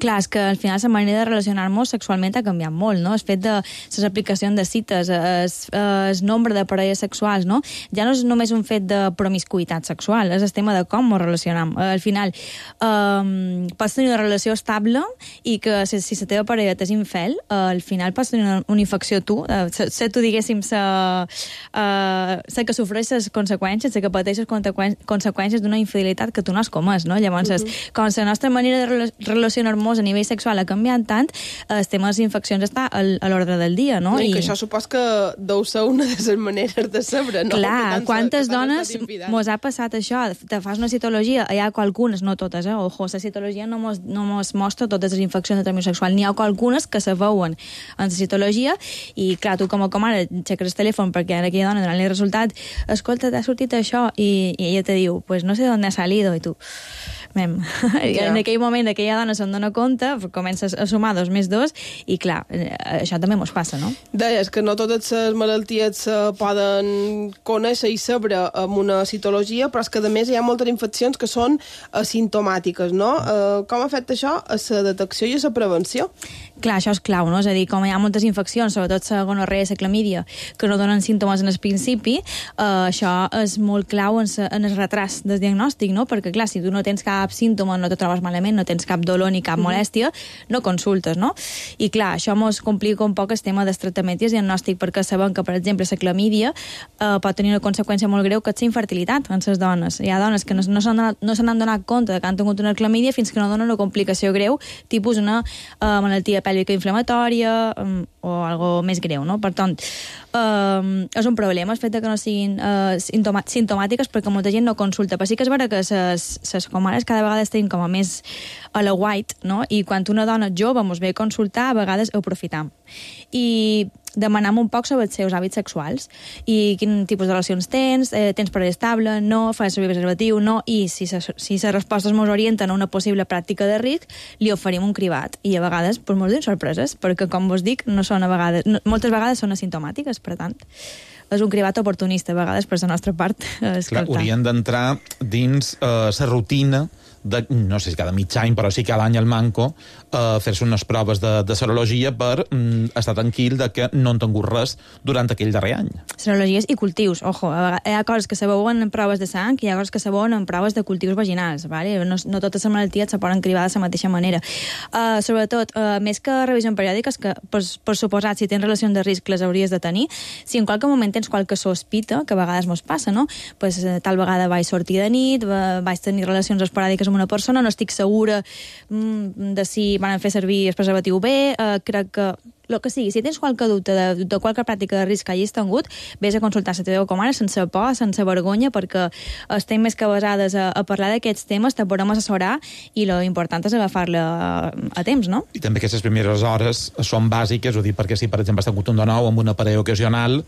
Clar, és que al final la manera de relacionar-nos sexualment ha canviat molt, no? El fet de les aplicacions de cites, el nombre de parelles sexuals, no? Ja no és només un fet de promiscuïtat sexual, és el tema de com ens relacionam. Al final, um, pots tenir una relació estable i que si, si la teva parella t'és infel, uh, al final pots tenir una, una infecció tu, uh, sé tu, diguéssim, sé uh, que sofreix les conseqüències, sé que pateix les conseqüències d'una infidelitat que tu no has comès, no? Llavors, uh -huh. com la nostra manera de relacionar-nos a nivell sexual ha canviat tant, el tema de les infeccions està a l'ordre del dia, no? I, I que això supos que deu ser una de les maneres de saber, no? Clar, quantes dones mos ha passat això? Te fas una citologia, hi ha qualcunes, no totes, eh? Ojo, la citologia no mos, no mos mostra totes les infeccions de transmissió sexual, n'hi ha qualcunes que se veuen en la citologia i, clar, tu com a comare xeques el telèfon perquè ara aquella dona donant-li el resultat, escolta, t'ha sortit això, i, i ella te diu, pues no sé d'on ha salido, i tu mem. Ja. En aquell moment aquella dona se'n dona compte, comença a sumar dos més dos, i clar, això també mos passa, no? Deies que no totes les malalties se poden conèixer i saber amb una citologia, però és que a més hi ha moltes infeccions que són asimptomàtiques, no? Uh, com afecta això a la detecció i a la prevenció? Clar, això és clau, no? És a dir, com hi ha moltes infeccions, sobretot la gonorrea i la clamídia, que no donen símptomes en el principi, eh, això és molt clau en, sa, en el retras del diagnòstic, no? Perquè, clar, si tu no tens cap símptoma, no te trobes malament, no tens cap dolor ni cap mm-hmm. molèstia, no consultes, no? I, clar, això mos complica un poc el tema del tractament i el diagnòstic, perquè sabem que, per exemple, la clamídia eh, pot tenir una conseqüència molt greu, que és la infertilitat en les dones. Hi ha dones que no, no s'han no se n'han donat compte que han tingut una clamídia fins que no donen una complicació greu, tipus una eh, malaltia pèlvica inflamatòria um, o algo més greu, no? Per tant, um, és un problema el fet que no siguin uh, simptomàtiques perquè molta gent no consulta, però sí que és vera que les comares cada vegada estan com a més a la white, no? I quan una dona jove mos ve a consultar, a vegades ho aprofitam. I demanam un poc sobre els seus hàbits sexuals i quin tipus de relacions tens, eh, tens parella estable, no, fas servir preservatiu, no, i si les si respostes ens orienten a una possible pràctica de risc, li oferim un cribat. I a vegades pues, mos donen sorpreses, perquè, com vos dic, no són a vegades, no, moltes vegades són asimptomàtiques, per tant, és un cribat oportunista, a vegades, per la nostra part. Clar, haurien d'entrar dins la uh, rutina de, no sé si cada mig any, però sí cada any al Manco, eh, fer-se unes proves de, de serologia per mm, estar tranquil de que no han tingut res durant aquell darrer any. Serologies i cultius, ojo, hi ha coses que se veuen en proves de sang i hi ha coses que se veuen en proves de cultius vaginals, vale? no, no totes les malalties se poden cribar de la mateixa manera. Uh, sobretot, uh, més que revisió periòdica, que per, per suposat, si tens relacions de risc les hauries de tenir, si en qualque moment tens qualque sospita, que a vegades mos passa, no? Pues, uh, tal vegada vaig sortir de nit, va, vaig tenir relacions esporàdiques amb una persona, no estic segura mm, de si van fer servir el preservatiu bé, eh, crec que el que sigui, si tens qualque dubte de, de qualque pràctica de risc que hagis tingut, vés a consultar la teva comare sense por, sense vergonya, perquè estem més que basades a, a parlar d'aquests temes, te podem assessorar i lo important és agafar-la a, a temps, no? I també aquestes primeres hores són bàsiques, ho dic perquè si, per exemple, has tingut un de nou amb una parella ocasional,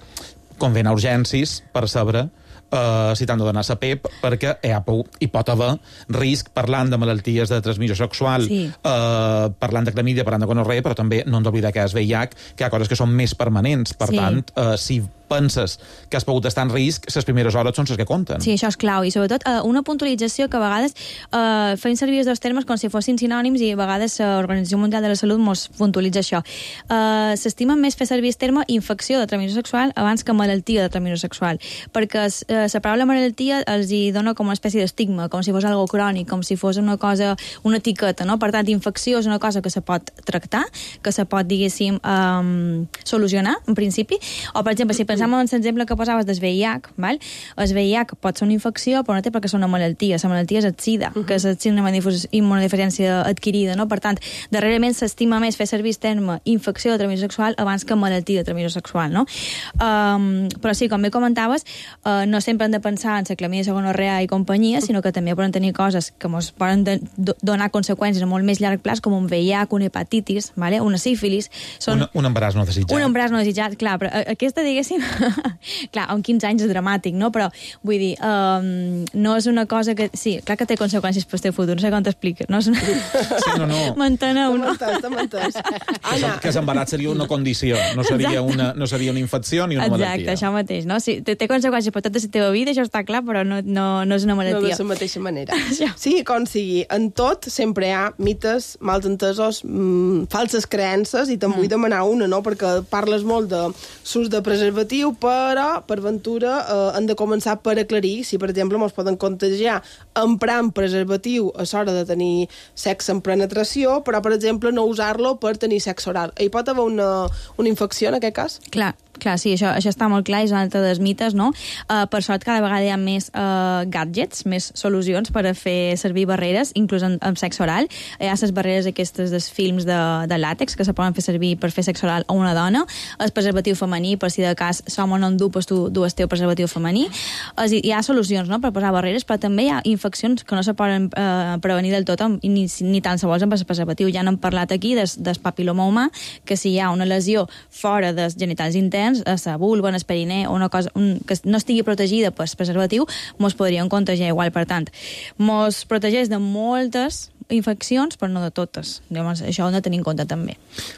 convé anar a urgències per saber Uh, si t'han de donar la P E P, perquè hi, ha, hi pot haver risc parlant de malalties de transmissió sexual, sí. uh, parlant de clamídia, parlant de gonorrea, però també no hem d'oblidar que és V I H, que hi ha coses que són més permanents. Per sí. tant, uh, si penses que has pogut estar en risc, les primeres hores són les que compten. Sí, això és clau. I sobretot uh, una puntualització que a vegades uh, fem servir els dos termes com si fossin sinònims i a vegades l'Organització Mundial de la Salut mos puntualitza això. Uh, S'estima més fer servir el terme infecció de transmissió sexual abans que malaltia de transmissió sexual, perquè uh, la paraula malaltia els hi dona com una espècie d'estigma, com si fos algo crònic, com si fos una cosa, una etiqueta, no? Per tant, infecció és una cosa que se pot tractar, que se pot, diguéssim, um, solucionar, en principi. O, per exemple, si pensem en l'exemple que posaves del V I H, val? El V I H pot ser una infecció, però no té perquè és una malaltia. La malaltia és el SIDA, uh -huh. que és la síndrome d'immunodeficiència adquirida, no? Per tant, darrerament s'estima més fer servir el terme infecció de transmissió sexual abans que malaltia de transmissió sexual, no? Um, però sí, com bé comentaves, uh, no sempre hem de pensar en la clamídia, la gonorrea i companyia, sinó que també poden tenir coses que ens poden de, do, donar conseqüències a molt més llarg plaç, com un V I H, una hepatitis, vale? Una sífilis. Són... Un, un embaràs no desitjat. Un embaràs no desitjat, clar, però aquesta, diguéssim, clar, amb quinze anys és dramàtic, no? Però, vull dir, um, no és una cosa que... Sí, clar que té conseqüències per el teu futur, no sé com t'expliques, no? És una... Sí, no, no. M'enteneu, no? T'he entès, Anna. Que l'embaràs seria una condició, no seria una, no seria una infecció ni una Exacte, malaltia. Exacte, això mateix, no? Sí, té, té conseqüències per tota la teva vida, això està clar, però no, no, no és una malaltia. No de la mateixa manera. Sí, com sigui, en tot sempre hi ha mites, malentesos, mmm, falses creences, i te'n vull demanar una, no? Perquè parles molt de l'ús de preservatiu, però, per ventura, eh, hem de començar per aclarir si, per exemple, ens poden contagiar emprant preservatiu a l'hora de tenir sexe en penetració, però, per exemple, no usar-lo per tenir sexe oral. Hi pot haver una, una infecció, en aquest cas? Clar. Clar, sí, això, això està molt clar, és un altre dels mites, no? Uh, per sort, cada vegada hi ha més uh, gadgets, més solucions per a fer servir barreres, inclús en, en sexe oral. Hi ha les barreres aquestes dels films de, de làtex que se poden fer servir per fer sexe oral a una dona, el preservatiu femení, per si de cas som o no en du, doncs tu dues teu preservatiu femení. És, hi ha solucions, no?, per posar barreres, però també hi ha infeccions que no se poden uh, prevenir del tot, ni, ni tan sols amb el preservatiu. Ja n'hem parlat aquí des, del papiloma humà, que si hi ha una lesió fora dels genitals interns, nens, a la vulva, en el perineu, una cosa un, que no estigui protegida per preservatiu, mos podrien contagiar igual. Per tant, mos protegeix de moltes infeccions, però no de totes. Llavors, això ho hem de tenir en compte també.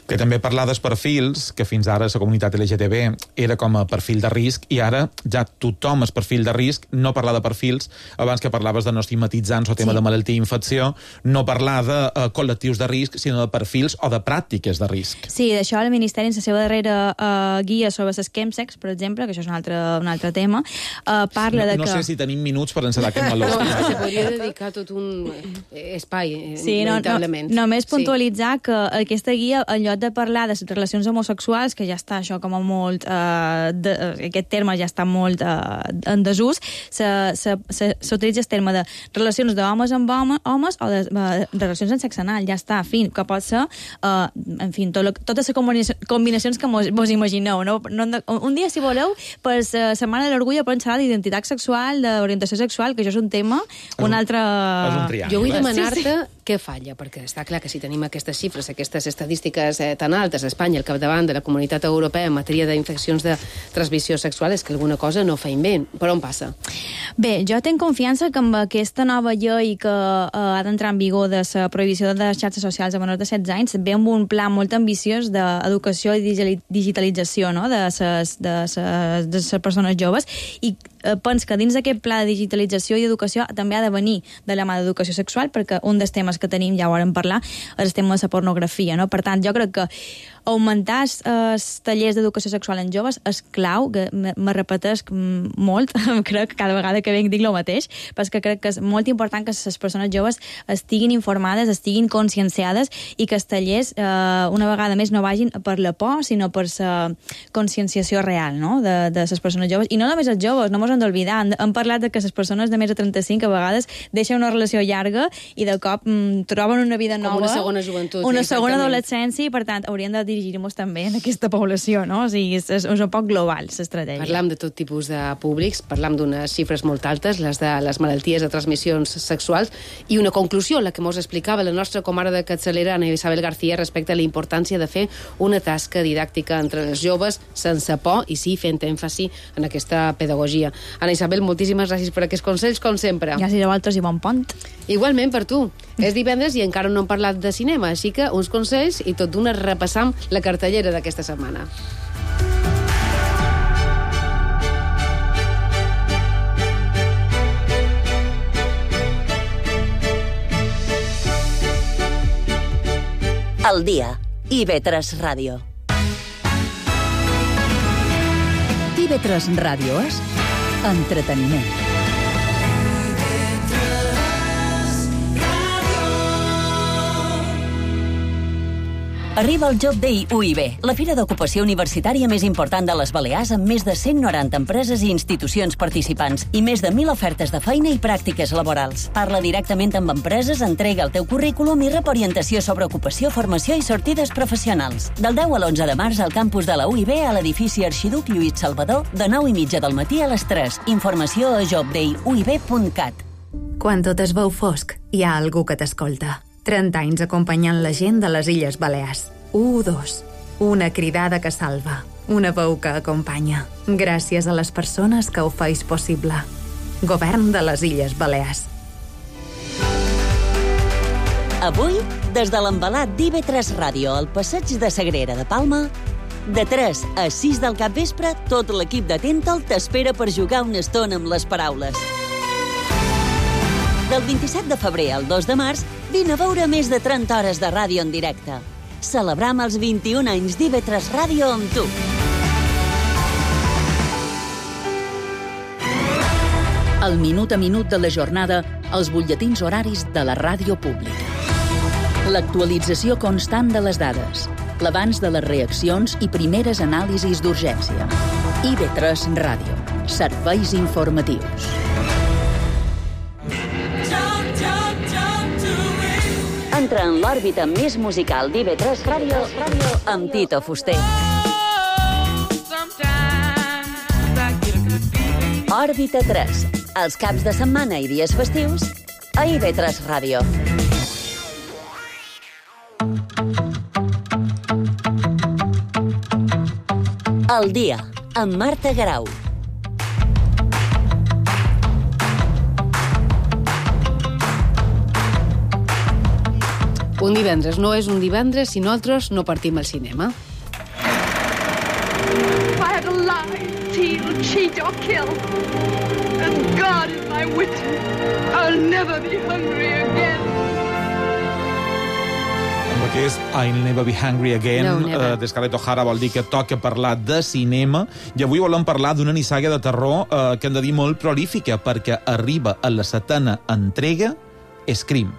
Que també parlar dels perfils, que fins ara la comunitat L G T B era com a perfil de risc, i ara ja tothom és perfil de risc, no parlar de perfils, abans que parlaves de no estigmatitzar el tema sí. de malaltia i infecció, no parlar de uh, col·lectius de risc, sinó de perfils o de pràctiques de risc. Sí, d'això el Ministeri, en la seva darrera uh, guia sobre les chemsex, per exemple, que això és un altre, un altre tema, uh, parla no, de no que... No sé si tenim minuts per encetar aquest meló. No, se podria dedicar tot un espai, sí, no, no, només puntualitzar sí. que aquesta guia, en lloc de parlar de les relacions homosexuals, que ja està això com a molt... Uh, de, aquest terme ja està molt uh, en desús, s'utilitza el terme de relacions d'homes amb home, homes o de, uh, de relacions en sexe anal, ja està, en fi, que pot ser, uh, en fi, tot lo, totes les combinacions que mos, mos imagineu. No? No, un dia, si voleu, per la Setmana de l'Orgull podem xerrar d'identitat sexual, d'orientació sexual, que això és un tema, un altre... És un triangle. Jo vull demanar-te sí, sí. què falla, perquè està clar que si tenim aquestes xifres, aquestes estadístiques eh, tan altes a Espanya, al capdavant de la Comunitat Europea en matèria d'infeccions de transmissió sexual, és que alguna cosa no feim bé. Per on passa? Bé, jo tinc confiança que amb aquesta nova llei que eh, ha d'entrar en vigor de la prohibició de les xarxes socials a menors de setze anys, ve amb un pla molt ambiciós d'educació i digitalització, no?, de les de ses, de ses persones joves, i eh, penso que dins d'aquest pla de digitalització i educació també ha de venir de la mà d'educació sexual, perquè un dels temes que tenim, ja ho vam parlar, és el tema de la pornografia, no? Per tant, jo crec que augmentar els tallers d'educació sexual en joves és clau, que me repetesc molt, crec que cada vegada que venc dic el mateix, però que crec que és molt important que les persones joves estiguin informades, estiguin conscienciades, i que els tallers, eh, una vegada més, no vagin per la por, sinó per la conscienciació real, no?, de, de les persones joves. I no només els joves, no mos hem d'oblidar, hem, hem parlat de que les persones de més de trenta-cinc a vegades deixen una relació llarga i de cop mm, troben una vida nova. Com una segona joventut. Una segona adolescència, i per tant haurien de dirigir-nos també en aquesta població, no? O sigui, és, és un poc global, l'estratègia. Parlam de tot tipus de públics, parlam d'unes xifres molt altes, les de les malalties de transmissions sexuals, i una conclusió, la que mos explicava la nostra comare de Capçalera, Ana Isabel García, respecte a la importància de fer una tasca didàctica entre els joves, sense por, i sí, fent èmfasi en aquesta pedagogia. Ana Isabel, moltíssimes gràcies per aquests consells, com sempre. Gràcies a vosaltres i bon pont. Igualment per tu. És divendres i encara no hem parlat de cinema, així que uns consells i tot d'una repassam la cartellera d'aquesta setmana. El dia. I ve tres Ràdio. I ve tres Ràdio és entreteniment. Arriba el Job Day U I B, la fira d'ocupació universitària més important de les Balears, amb més de cent noranta empreses i institucions participants i més de mil ofertes de feina i pràctiques laborals. Parla directament amb empreses, entrega el teu currículum i rep orientació sobre ocupació, formació i sortides professionals. Del deu a l'onze de març al campus de la U I B a l'edifici Arxiduc Lluís Salvador, de nou i mitja del matí a les tres. Informació a job day u i b punt cat. Quan tot es veu fosc, hi ha algú que t'escolta. trenta anys acompanyant la gent de les Illes Balears. u dos. Una cridada que salva. Una veu que acompanya. Gràcies a les persones que ho feis possible. Govern de les Illes Balears. Avui, des de l'embalat d'I V tres Ràdio al passeig de Sagrera de Palma, de tres a sis del capvespre, tot l'equip de Tental t'espera per jugar una estona amb les paraules. Del vint-i-set de febrer al dos de març, vine a veure més de trenta hores de ràdio en directe. Celebram els vint-i-un anys d'I V tres Ràdio amb tu. El minut a minut de la jornada, els butlletins horaris de la ràdio pública. L'actualització constant de les dades, l'abans de les reaccions i primeres anàlisis d'urgència. I V tres Ràdio. Serveis informatius. Entra en l'òrbita més musical d'I V tres Ràdio amb Tito Fuster. Òrbita tres. Els caps de setmana i dies festius a I V tres Ràdio. Al dia, amb Marta Garau. Un divendres no és un divendres si nosaltres no partim al cinema. If I had to lie, steal, cheat or kill, and God is my witness, I'll never be hungry again. Amb aquest I'll Never Be Hungry Again, No, never. eh, de Scarlett O'Hara, vol dir que toca parlar de cinema, i avui volem parlar d'una nissaga de terror eh, que hem de dir molt prolífica, perquè arriba a la setena entrega, Scream.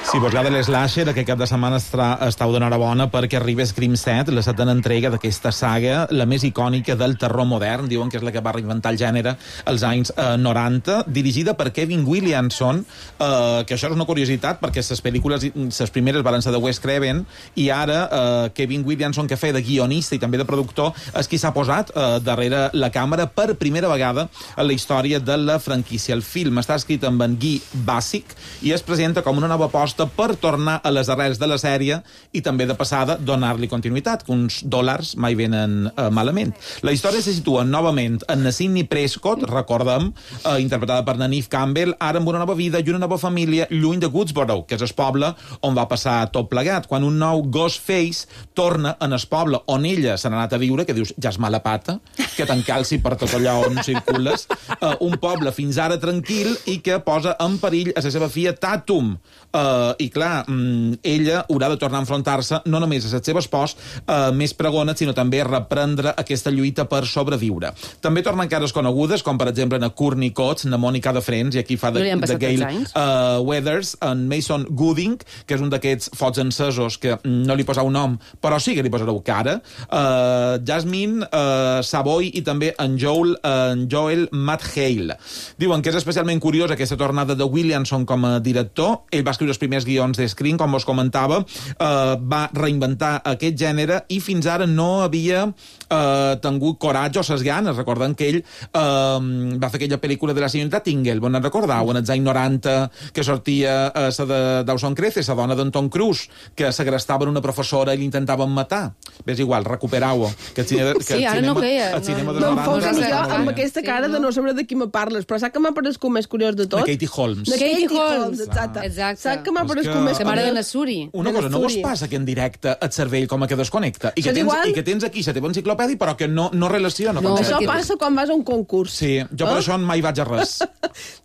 Si vos agrada l'Slasher, aquest cap de setmana estarà, estàu d'enhorabona perquè arriba Scream set, la setena entrega d'aquesta saga, la més icònica del terror modern, diuen que és la que va reinventar el gènere als anys eh, noranta, dirigida per Kevin Williamson, eh, que això és una curiositat perquè les pel·lícules, les primeres van ser de Wes Craven, i ara eh, Kevin Williamson, que feia de guionista i també de productor, és qui s'ha posat eh, darrere la càmera per primera vegada en la història de la franquícia. El film està escrit amb en Guy Basic i es presenta com una nova aposta per tornar a les arrels de la sèrie i també de passada donar-li continuïtat, que uns dòlars mai venen eh, malament. La història se situa novament en la Sidney Prescott, recordem, eh, interpretada per na Neve Campbell, ara amb una nova vida i una nova família lluny de Woodsboro, que és el poble on va passar tot plegat, quan un nou Ghostface torna en el poble on ella se n'ha anat a viure, que dius, ja és mala pata, que t'encalci per tot allò on circules, eh, un poble fins ara tranquil i que posa en perill a la seva filla Tatum. Eh, I clar, mm, ella haurà de tornar a enfrontar-se no només a les seves pors eh, més pregones, sinó també a reprendre aquesta lluita per sobreviure. També tornen cares conegudes, com per exemple na Courtney Cox, na Mònica de Friends, i aquí fa de, No de Gail uh, Weathers, en Mason Gooding, que és un d'aquests focs encesos que no li posau nom, però sí que li posareu cara, uh, Jasmine uh, Savoy i també en Joel, uh, en Joel Matt Hale. Diuen que és especialment curiós aquesta tornada de Williamson com a director. Ell va escriure els primers guions de Scream, com vos comentava, eh, va reinventar aquest gènere i fins ara no havia eh, tingut coratge o ses ganes. Recordem que ell eh, va fer aquella pel·lícula de la senyorita Tingle, on en recordau, en els anys noranta, que sortia eh, la de Dawson Creek, la dona d'en Tom Cruise, que segrestaven una professora i l'intentaven matar. Ves igual, recuperau-ho. Que el cinema, que Sí, el ara cinema, no veia. el cinema No, dels Me'n noranta foc era jo molt amb bé. aquesta cara de no saber de qui me parles, però saps que m'ha parescut més curiós de tot? De Katie Holmes. De Katie, Katie Holmes, Holmes. exacte. Exacte. Saps que m'ha És parescut que- més La mare de curiós? Nassuri. Una de cosa, no vos l'estudi. passa que en directe et cervell com a que desconnecta i que, Això és tens, igual? i que tens aquí la teva enciclopèdia però que no, no relaciona. No, com això que- passa quan vas a un concurs. Sí, jo per Eh? això mai vaig a res.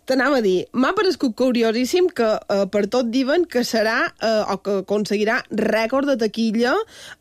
T'anava a dir, m'ha parescut curiosíssim que eh, per tot diuen que serà eh, o que aconseguirà rècord de taquilla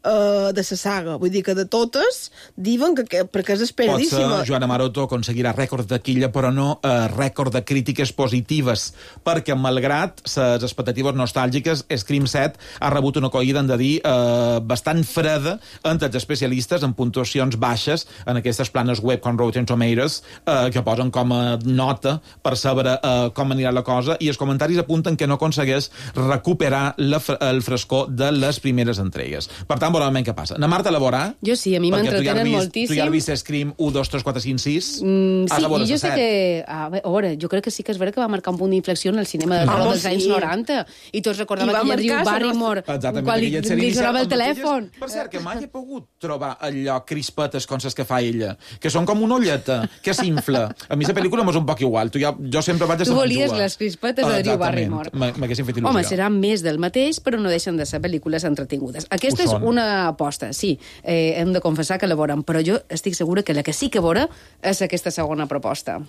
eh, de la saga. Vull dir que de totes diuen que, que perquè és Pot esperadíssima. ser Joana Maroto aconseguirà rècord de taquilla, però no eh, rècord de crítiques positives, perquè malgrat les expectatives nostàlgiques, Scream set ha rebut una acollida, hem de dir, eh, bastant freda entre els especialistes, en puntuacions baixes en aquestes planes web com Rotten Tomatoes, eh, que posen com a nota per saber eh, com anirà la cosa, i els comentaris apunten que no aconsegueix recuperar la, fre- el frescor de les primeres entregues. Per tant, veurem què passa. Na Marta, la veurà? Jo sí, a mi Perquè tu ja l'has m'entretenen vist- moltíssim. Tu ja has vist Scream un, dos, tres, quatre, cinc, sis? Mm, Has sí, de veure i jo la sé set. que... A veure, jo crec que sí que és vera que va marcar un punt d'inflexió en el cinema del Home, terror dels sí. anys noranta. I tots I recordàvem va aquella Drew marcar la Barrymore Exactament, quan li, aquella sèrie li inicial sonava el amb aquelles- telèfon. Per cert, que mai he pogut trobar allò crispetes com les que fa ella, que són com una olleta, que s'infla. A mi la pel·lícula m'és un poc igual. Tu ja, jo sempre vaig a Tu la volies Manjua. les crispetes de Drew Barrymore. Exactament. M'haguessin fet il·lusió. Home, serà més del mateix, però no deixen de ser pel·lícules entretingudes. Aquesta Ho és són. una aposta, sí. Eh, hem de confessar que la veurem, però jo estic segura que la que sí que veurà és aquesta segona proposta.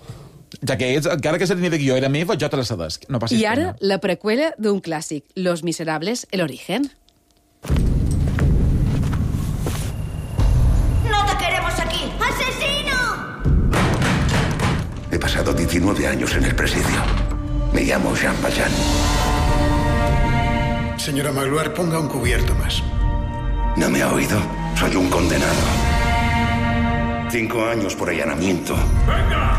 Ja que ets, encara que la línia de guió era meva, jo te la cedesc. No passis I ara, pena. la preqüela d'un clàssic, Los Miserables, el origen. ¡No te queremos aquí! ¡Asesino! He pasado diecinueve años en el presidio. Me llamo Jean Valjean. Señora Magloire, ponga un cubierto más. ¿No me ha oído? Soy un condenado. Cinco años por allanamiento. ¡Venga!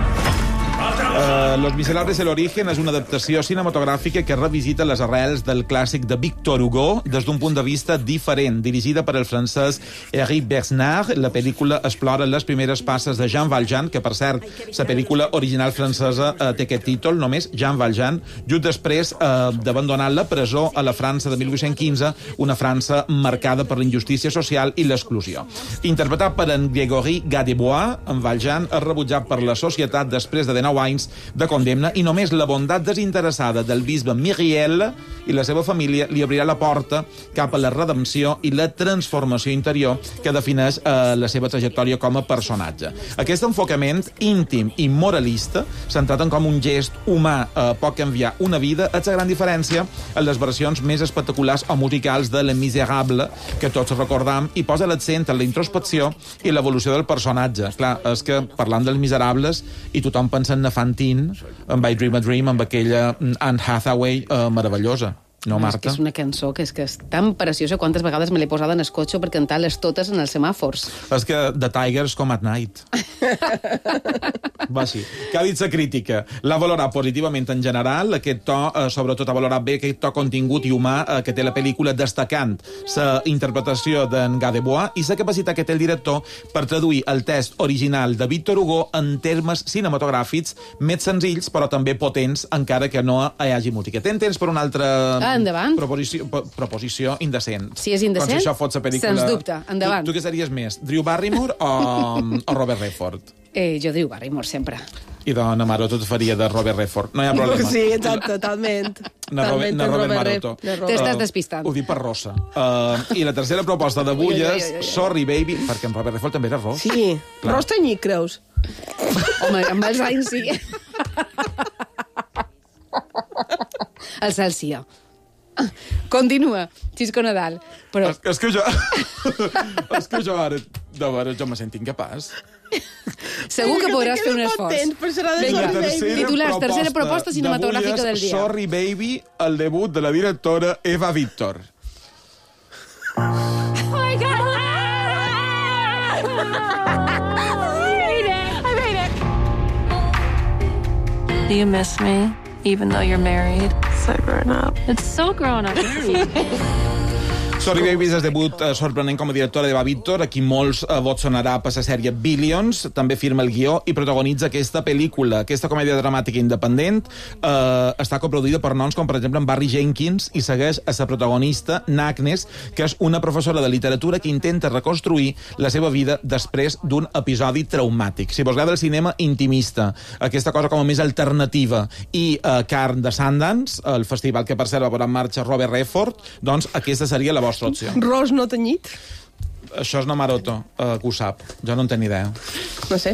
Uh, Los Miserables el origen és una adaptació cinematogràfica que revisita les arrels del clàssic de Victor Hugo des d'un punt de vista diferent. Dirigida per el francès Éric Bernard, la pel·lícula explora les primeres passes de Jean Valjean, que, per cert, la pel·lícula original francesa uh, té aquest títol, només Jean Valjean, just després uh, d'abandonar la presó a la França de mil vuit-cents quinze, una França marcada per la injustícia social i l'exclusió. Interpretat per en Grégory Gadebois, en Valjean és rebutjat per la societat després de dinou anys de condemna i només la bondat desinteressada del bisbe Myriel i la seva família li obrirà la porta cap a la redempció i la transformació interior que defineix eh, la seva trajectòria com a personatge. Aquest enfocament íntim i moralista, centrat en com un gest humà eh, pot canviar una vida, és la gran diferència en les versions més espectaculars o musicals de Les Miserables, que tots recordam, i posa l'accent en la introspecció i l'evolució del personatge. Clar, és que parlant dels Miserables i tothom pensa en Fantine, amb I Dream a Dream, amb aquella Anne Hathaway eh, meravellosa. No, Marta? És que és una cançó que és, que és tan preciosa. Quantes vegades me l'he posada en el cotxe per cantar-les totes en els semàfors. És que The Tigers Come at Night. Va, sí. Què ha dit la crítica? L'ha valorat positivament en general, aquest to, eh, sobretot ha valorat bé aquest to contingut i humà eh, que té la pel·lícula, destacant la interpretació d'en Gadebois i la capacitat que té el director per traduir el text original de Victor Hugo en termes cinematogràfics més senzills, però també potents, encara que no hi hagi música. Tens temps per una altra... Ah, endavant. Proposició, proposició indecent. Si és indecent, com si això fos la pel·lícula... sens dubte, endavant. Tu, tu què series més, Drew Barrymore o, o Robert Redford? Eh, jo Drew Barrymore, sempre. I dona Maroto et faria de Robert Redford. No hi ha problema. Sí, exacte, totalment. Na Robert, na Robert Maroto. T'estàs despistant. Ho dic per Rosa. Uh, I la tercera proposta d'avui és Sorry Baby, perquè en Robert Redford també era ros. Sí, clar. Ros tenyit, creus? Home, amb els anys sí. El Celsià. Continua, Xisco Nadal. Però... És, és que jo... és que jo ara... De veure, jo me sento incapaç. Segur que podràs fer un esforç. Vinga, titulars, tercera proposta cinematogràfica del dia. Sorry Baby, el debut de la directora Eva Víctor. Oh my God! I made it! I made it! Do you miss me, even though you're married? So grown up. It's so grown up. Sorry Baby és el debut eh, sorprenent com a directora d'Eva Víctor, a qui molts eh, vots sonarà per la sèrie Billions, també firma el guió i protagonitza aquesta pel·lícula. Aquesta comèdia dramàtica independent eh, està coproduïda per noms com, per exemple, en Barry Jenkins i segueix a la protagonista, Agnes, que és una professora de literatura que intenta reconstruir la seva vida després d'un episodi traumàtic. Si vos agrada el cinema intimista, aquesta cosa com a més alternativa, i eh, Carn de Sundance, el festival que per cert va posar en marxa Robert Redford, doncs aquesta seria la vostra opció. Ros no tenyit? Això és no Maroto, uh, que ho sap. Jo no en tenc ni idea. No sé.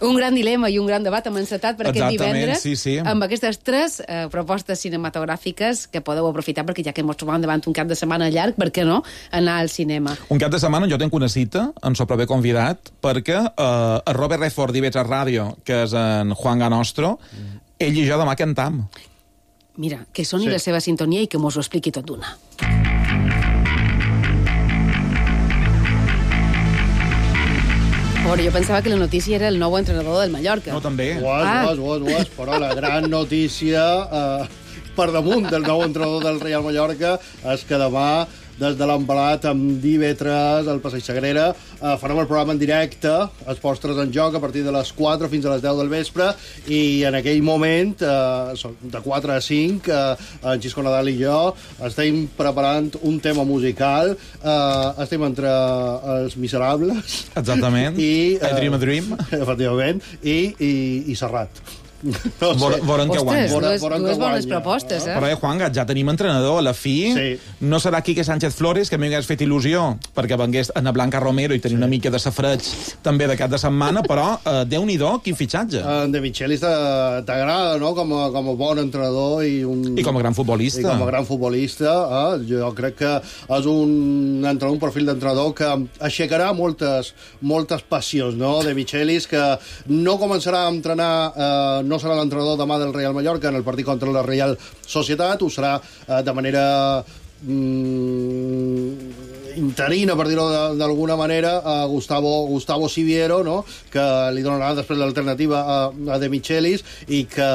Un gran dilema i un gran debat hem encetat per aquest divendres, sí, sí. amb aquestes tres eh, propostes cinematogràfiques que podeu aprofitar, perquè ja que ens trobam davant un cap de setmana llarg, per què no anar al cinema? Un cap de setmana jo tinc una cita, em sóc bé convidat, perquè eh, el Robert Redford d'I B tres Ràdio, que és en Juan Ganostro, ell i jo demà cantam. Mira, que soni Sí. la seva sintonia i que mos ho expliqui tot d'una. Bueno, jo pensava que la notícia era el nou entrenador del Mallorca. No, també. Ho és, Ah. ho és, ho és, ho és, però la gran notícia eh, per damunt del nou entrenador del Real Mallorca és que demà, des de l'Empallat amb I B tres, al Passeig Sagrera, eh, farem el programa en directe, els postres en joc, a partir de les quatre fins a les deu del vespre, i en aquell moment, eh, de quatre a cinc, eh, en Xisco Nadal i jo estem preparant un tema musical, eh, estem entre els Miserables... Exactament. I, I Dream a Dream. Efectivament. I, i, i Serrat. No Vor- voren que guanyi. Ostres, dues, Voren que dues bones guanyi. propostes, eh? Però, eh, Juanga, ja tenim entrenador. A la fi Sí. no serà Quique Sánchez Flores, que a mi m'hagués fet il·lusió, perquè vengués Ana Blanca Romero i tenir una mica de safreig també de cap de setmana, però eh, Déu-n'hi-do, quin fitxatge. En De Michelis t'a- t'agrada, no?, com a, com a bon entrenador i un... I com a gran futbolista. I com a gran futbolista, eh? Jo crec que és un entrenador, un perfil d'entrenador que aixecarà moltes, moltes passions, no?, De Michelis, que no començarà a entrenar, eh, no serà l'entrenador demà del Real Mallorca en el partit contra la Real Societat, ho serà eh, de manera mm, interina, per dir-ho d'alguna manera, a Gustavo, Gustavo Siviero, no? Que li donarà després l'alternativa a, a De Michelis i que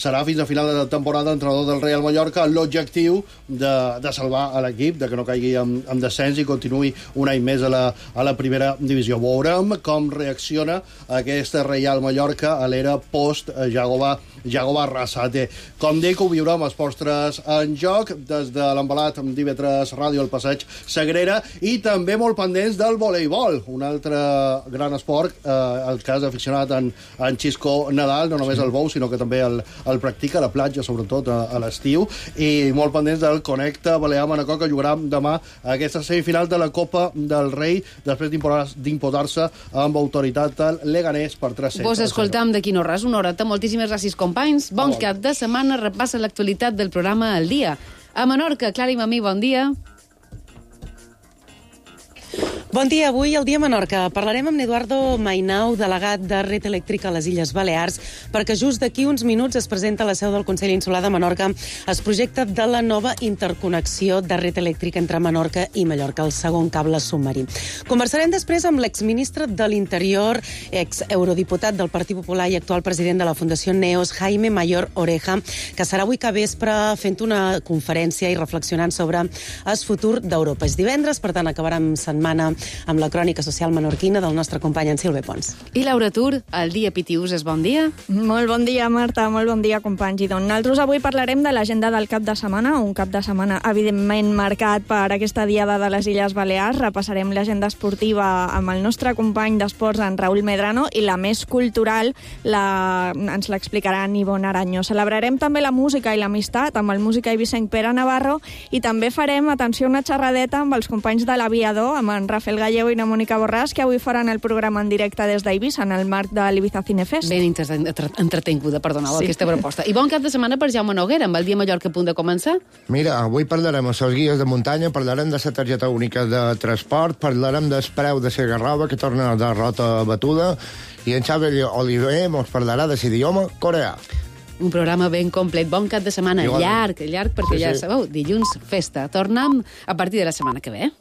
serà fins a final de temporada entrenador del Real Mallorca amb l'objectiu de, de salvar a l'equip, de que no caigui en, en descens i continuï un any més a la, a la primera divisió. Veurem com reacciona aquesta Real Mallorca a l'era post-Jagoba Jagoba Arrasate. Com dic, ho viurem als Postres en Joc, des de l'embalat amb d'I V tres Ràdio al Passeig Sagrera, i també molt pendents del voleibol, un altre gran esport, eh, el cas aficionat en, en Xisco Nadal, no només el bou, sinó que també el, el practica a la platja, sobretot a, a l'estiu, i molt pendents del Connecta Balear-Manacor, que jugarà demà a aquesta semifinal de la Copa del Rei, després d'imposar-se amb autoritat al Leganés per tres sets. Vos escoltam d'aquí no res, una horeta. Moltíssimes gràcies, companys. Bon cap de setmana. Repassa l'actualitat del programa El Dia. A Menorca, Clara i Mamí, bon dia. Bon dia, avui al Dia Menorca parlarem amb Eduardo Mainau, delegat de Red Eléctrica a les Illes Balears, perquè just d'aquí uns minuts es presenta a la seu del Consell Insular de Menorca el projecte de la nova interconnexió de Red Eléctrica entre Menorca i Mallorca, el segon cable submarí. Conversarem després amb l'exministre de l'Interior, ex-eurodiputat del Partit Popular i actual president de la Fundació Neos, Jaime Mayor Oreja, que serà avui que vespre fent una conferència i reflexionant sobre el futur d'Europa. És divendres, per tant acabarem setmana amb la crònica social menorquina del nostre company en Silve Pons. I Laura Tur, el dia Pitius és bon dia? Molt bon dia, Marta, molt bon dia, companys. I doncs nosaltres avui parlarem de l'agenda del cap de setmana, un cap de setmana evidentment marcat per aquesta diada de les Illes Balears. Repassarem l'agenda esportiva amb el nostre company d'esports, en Raül Medrano, i la més cultural la... ens l'explicarà en Ivonne Aranyo. Celebrarem també la música i l'amistat amb el músic eivissenc Pere Navarro i també farem, atenció, una xerradeta amb els companys de l'Aviador, amb en Rafael Gallego i na Mònica Borràs, que avui faran el programa en directe des d'Eivissa, en el marc de l'Ibiza Cinefest. Ben entretinguda, perdoneu, sí. Aquesta proposta. I bon cap de setmana per Jaume Noguera, amb el Dia Mallorca a punt de començar. Mira, avui parlarem amb els guies de muntanya, parlarem de la targeta única de transport, parlarem del preu de la Garrova, que torna a la rota batuda, i en Xavi Oliver ens parlarà de l'idioma coreà. Un programa ben complet. Bon cap de setmana. Igual. Llarg, llarg, perquè sí, ja sí. sabeu, dilluns, festa. Tornem a partir de la setmana que ve.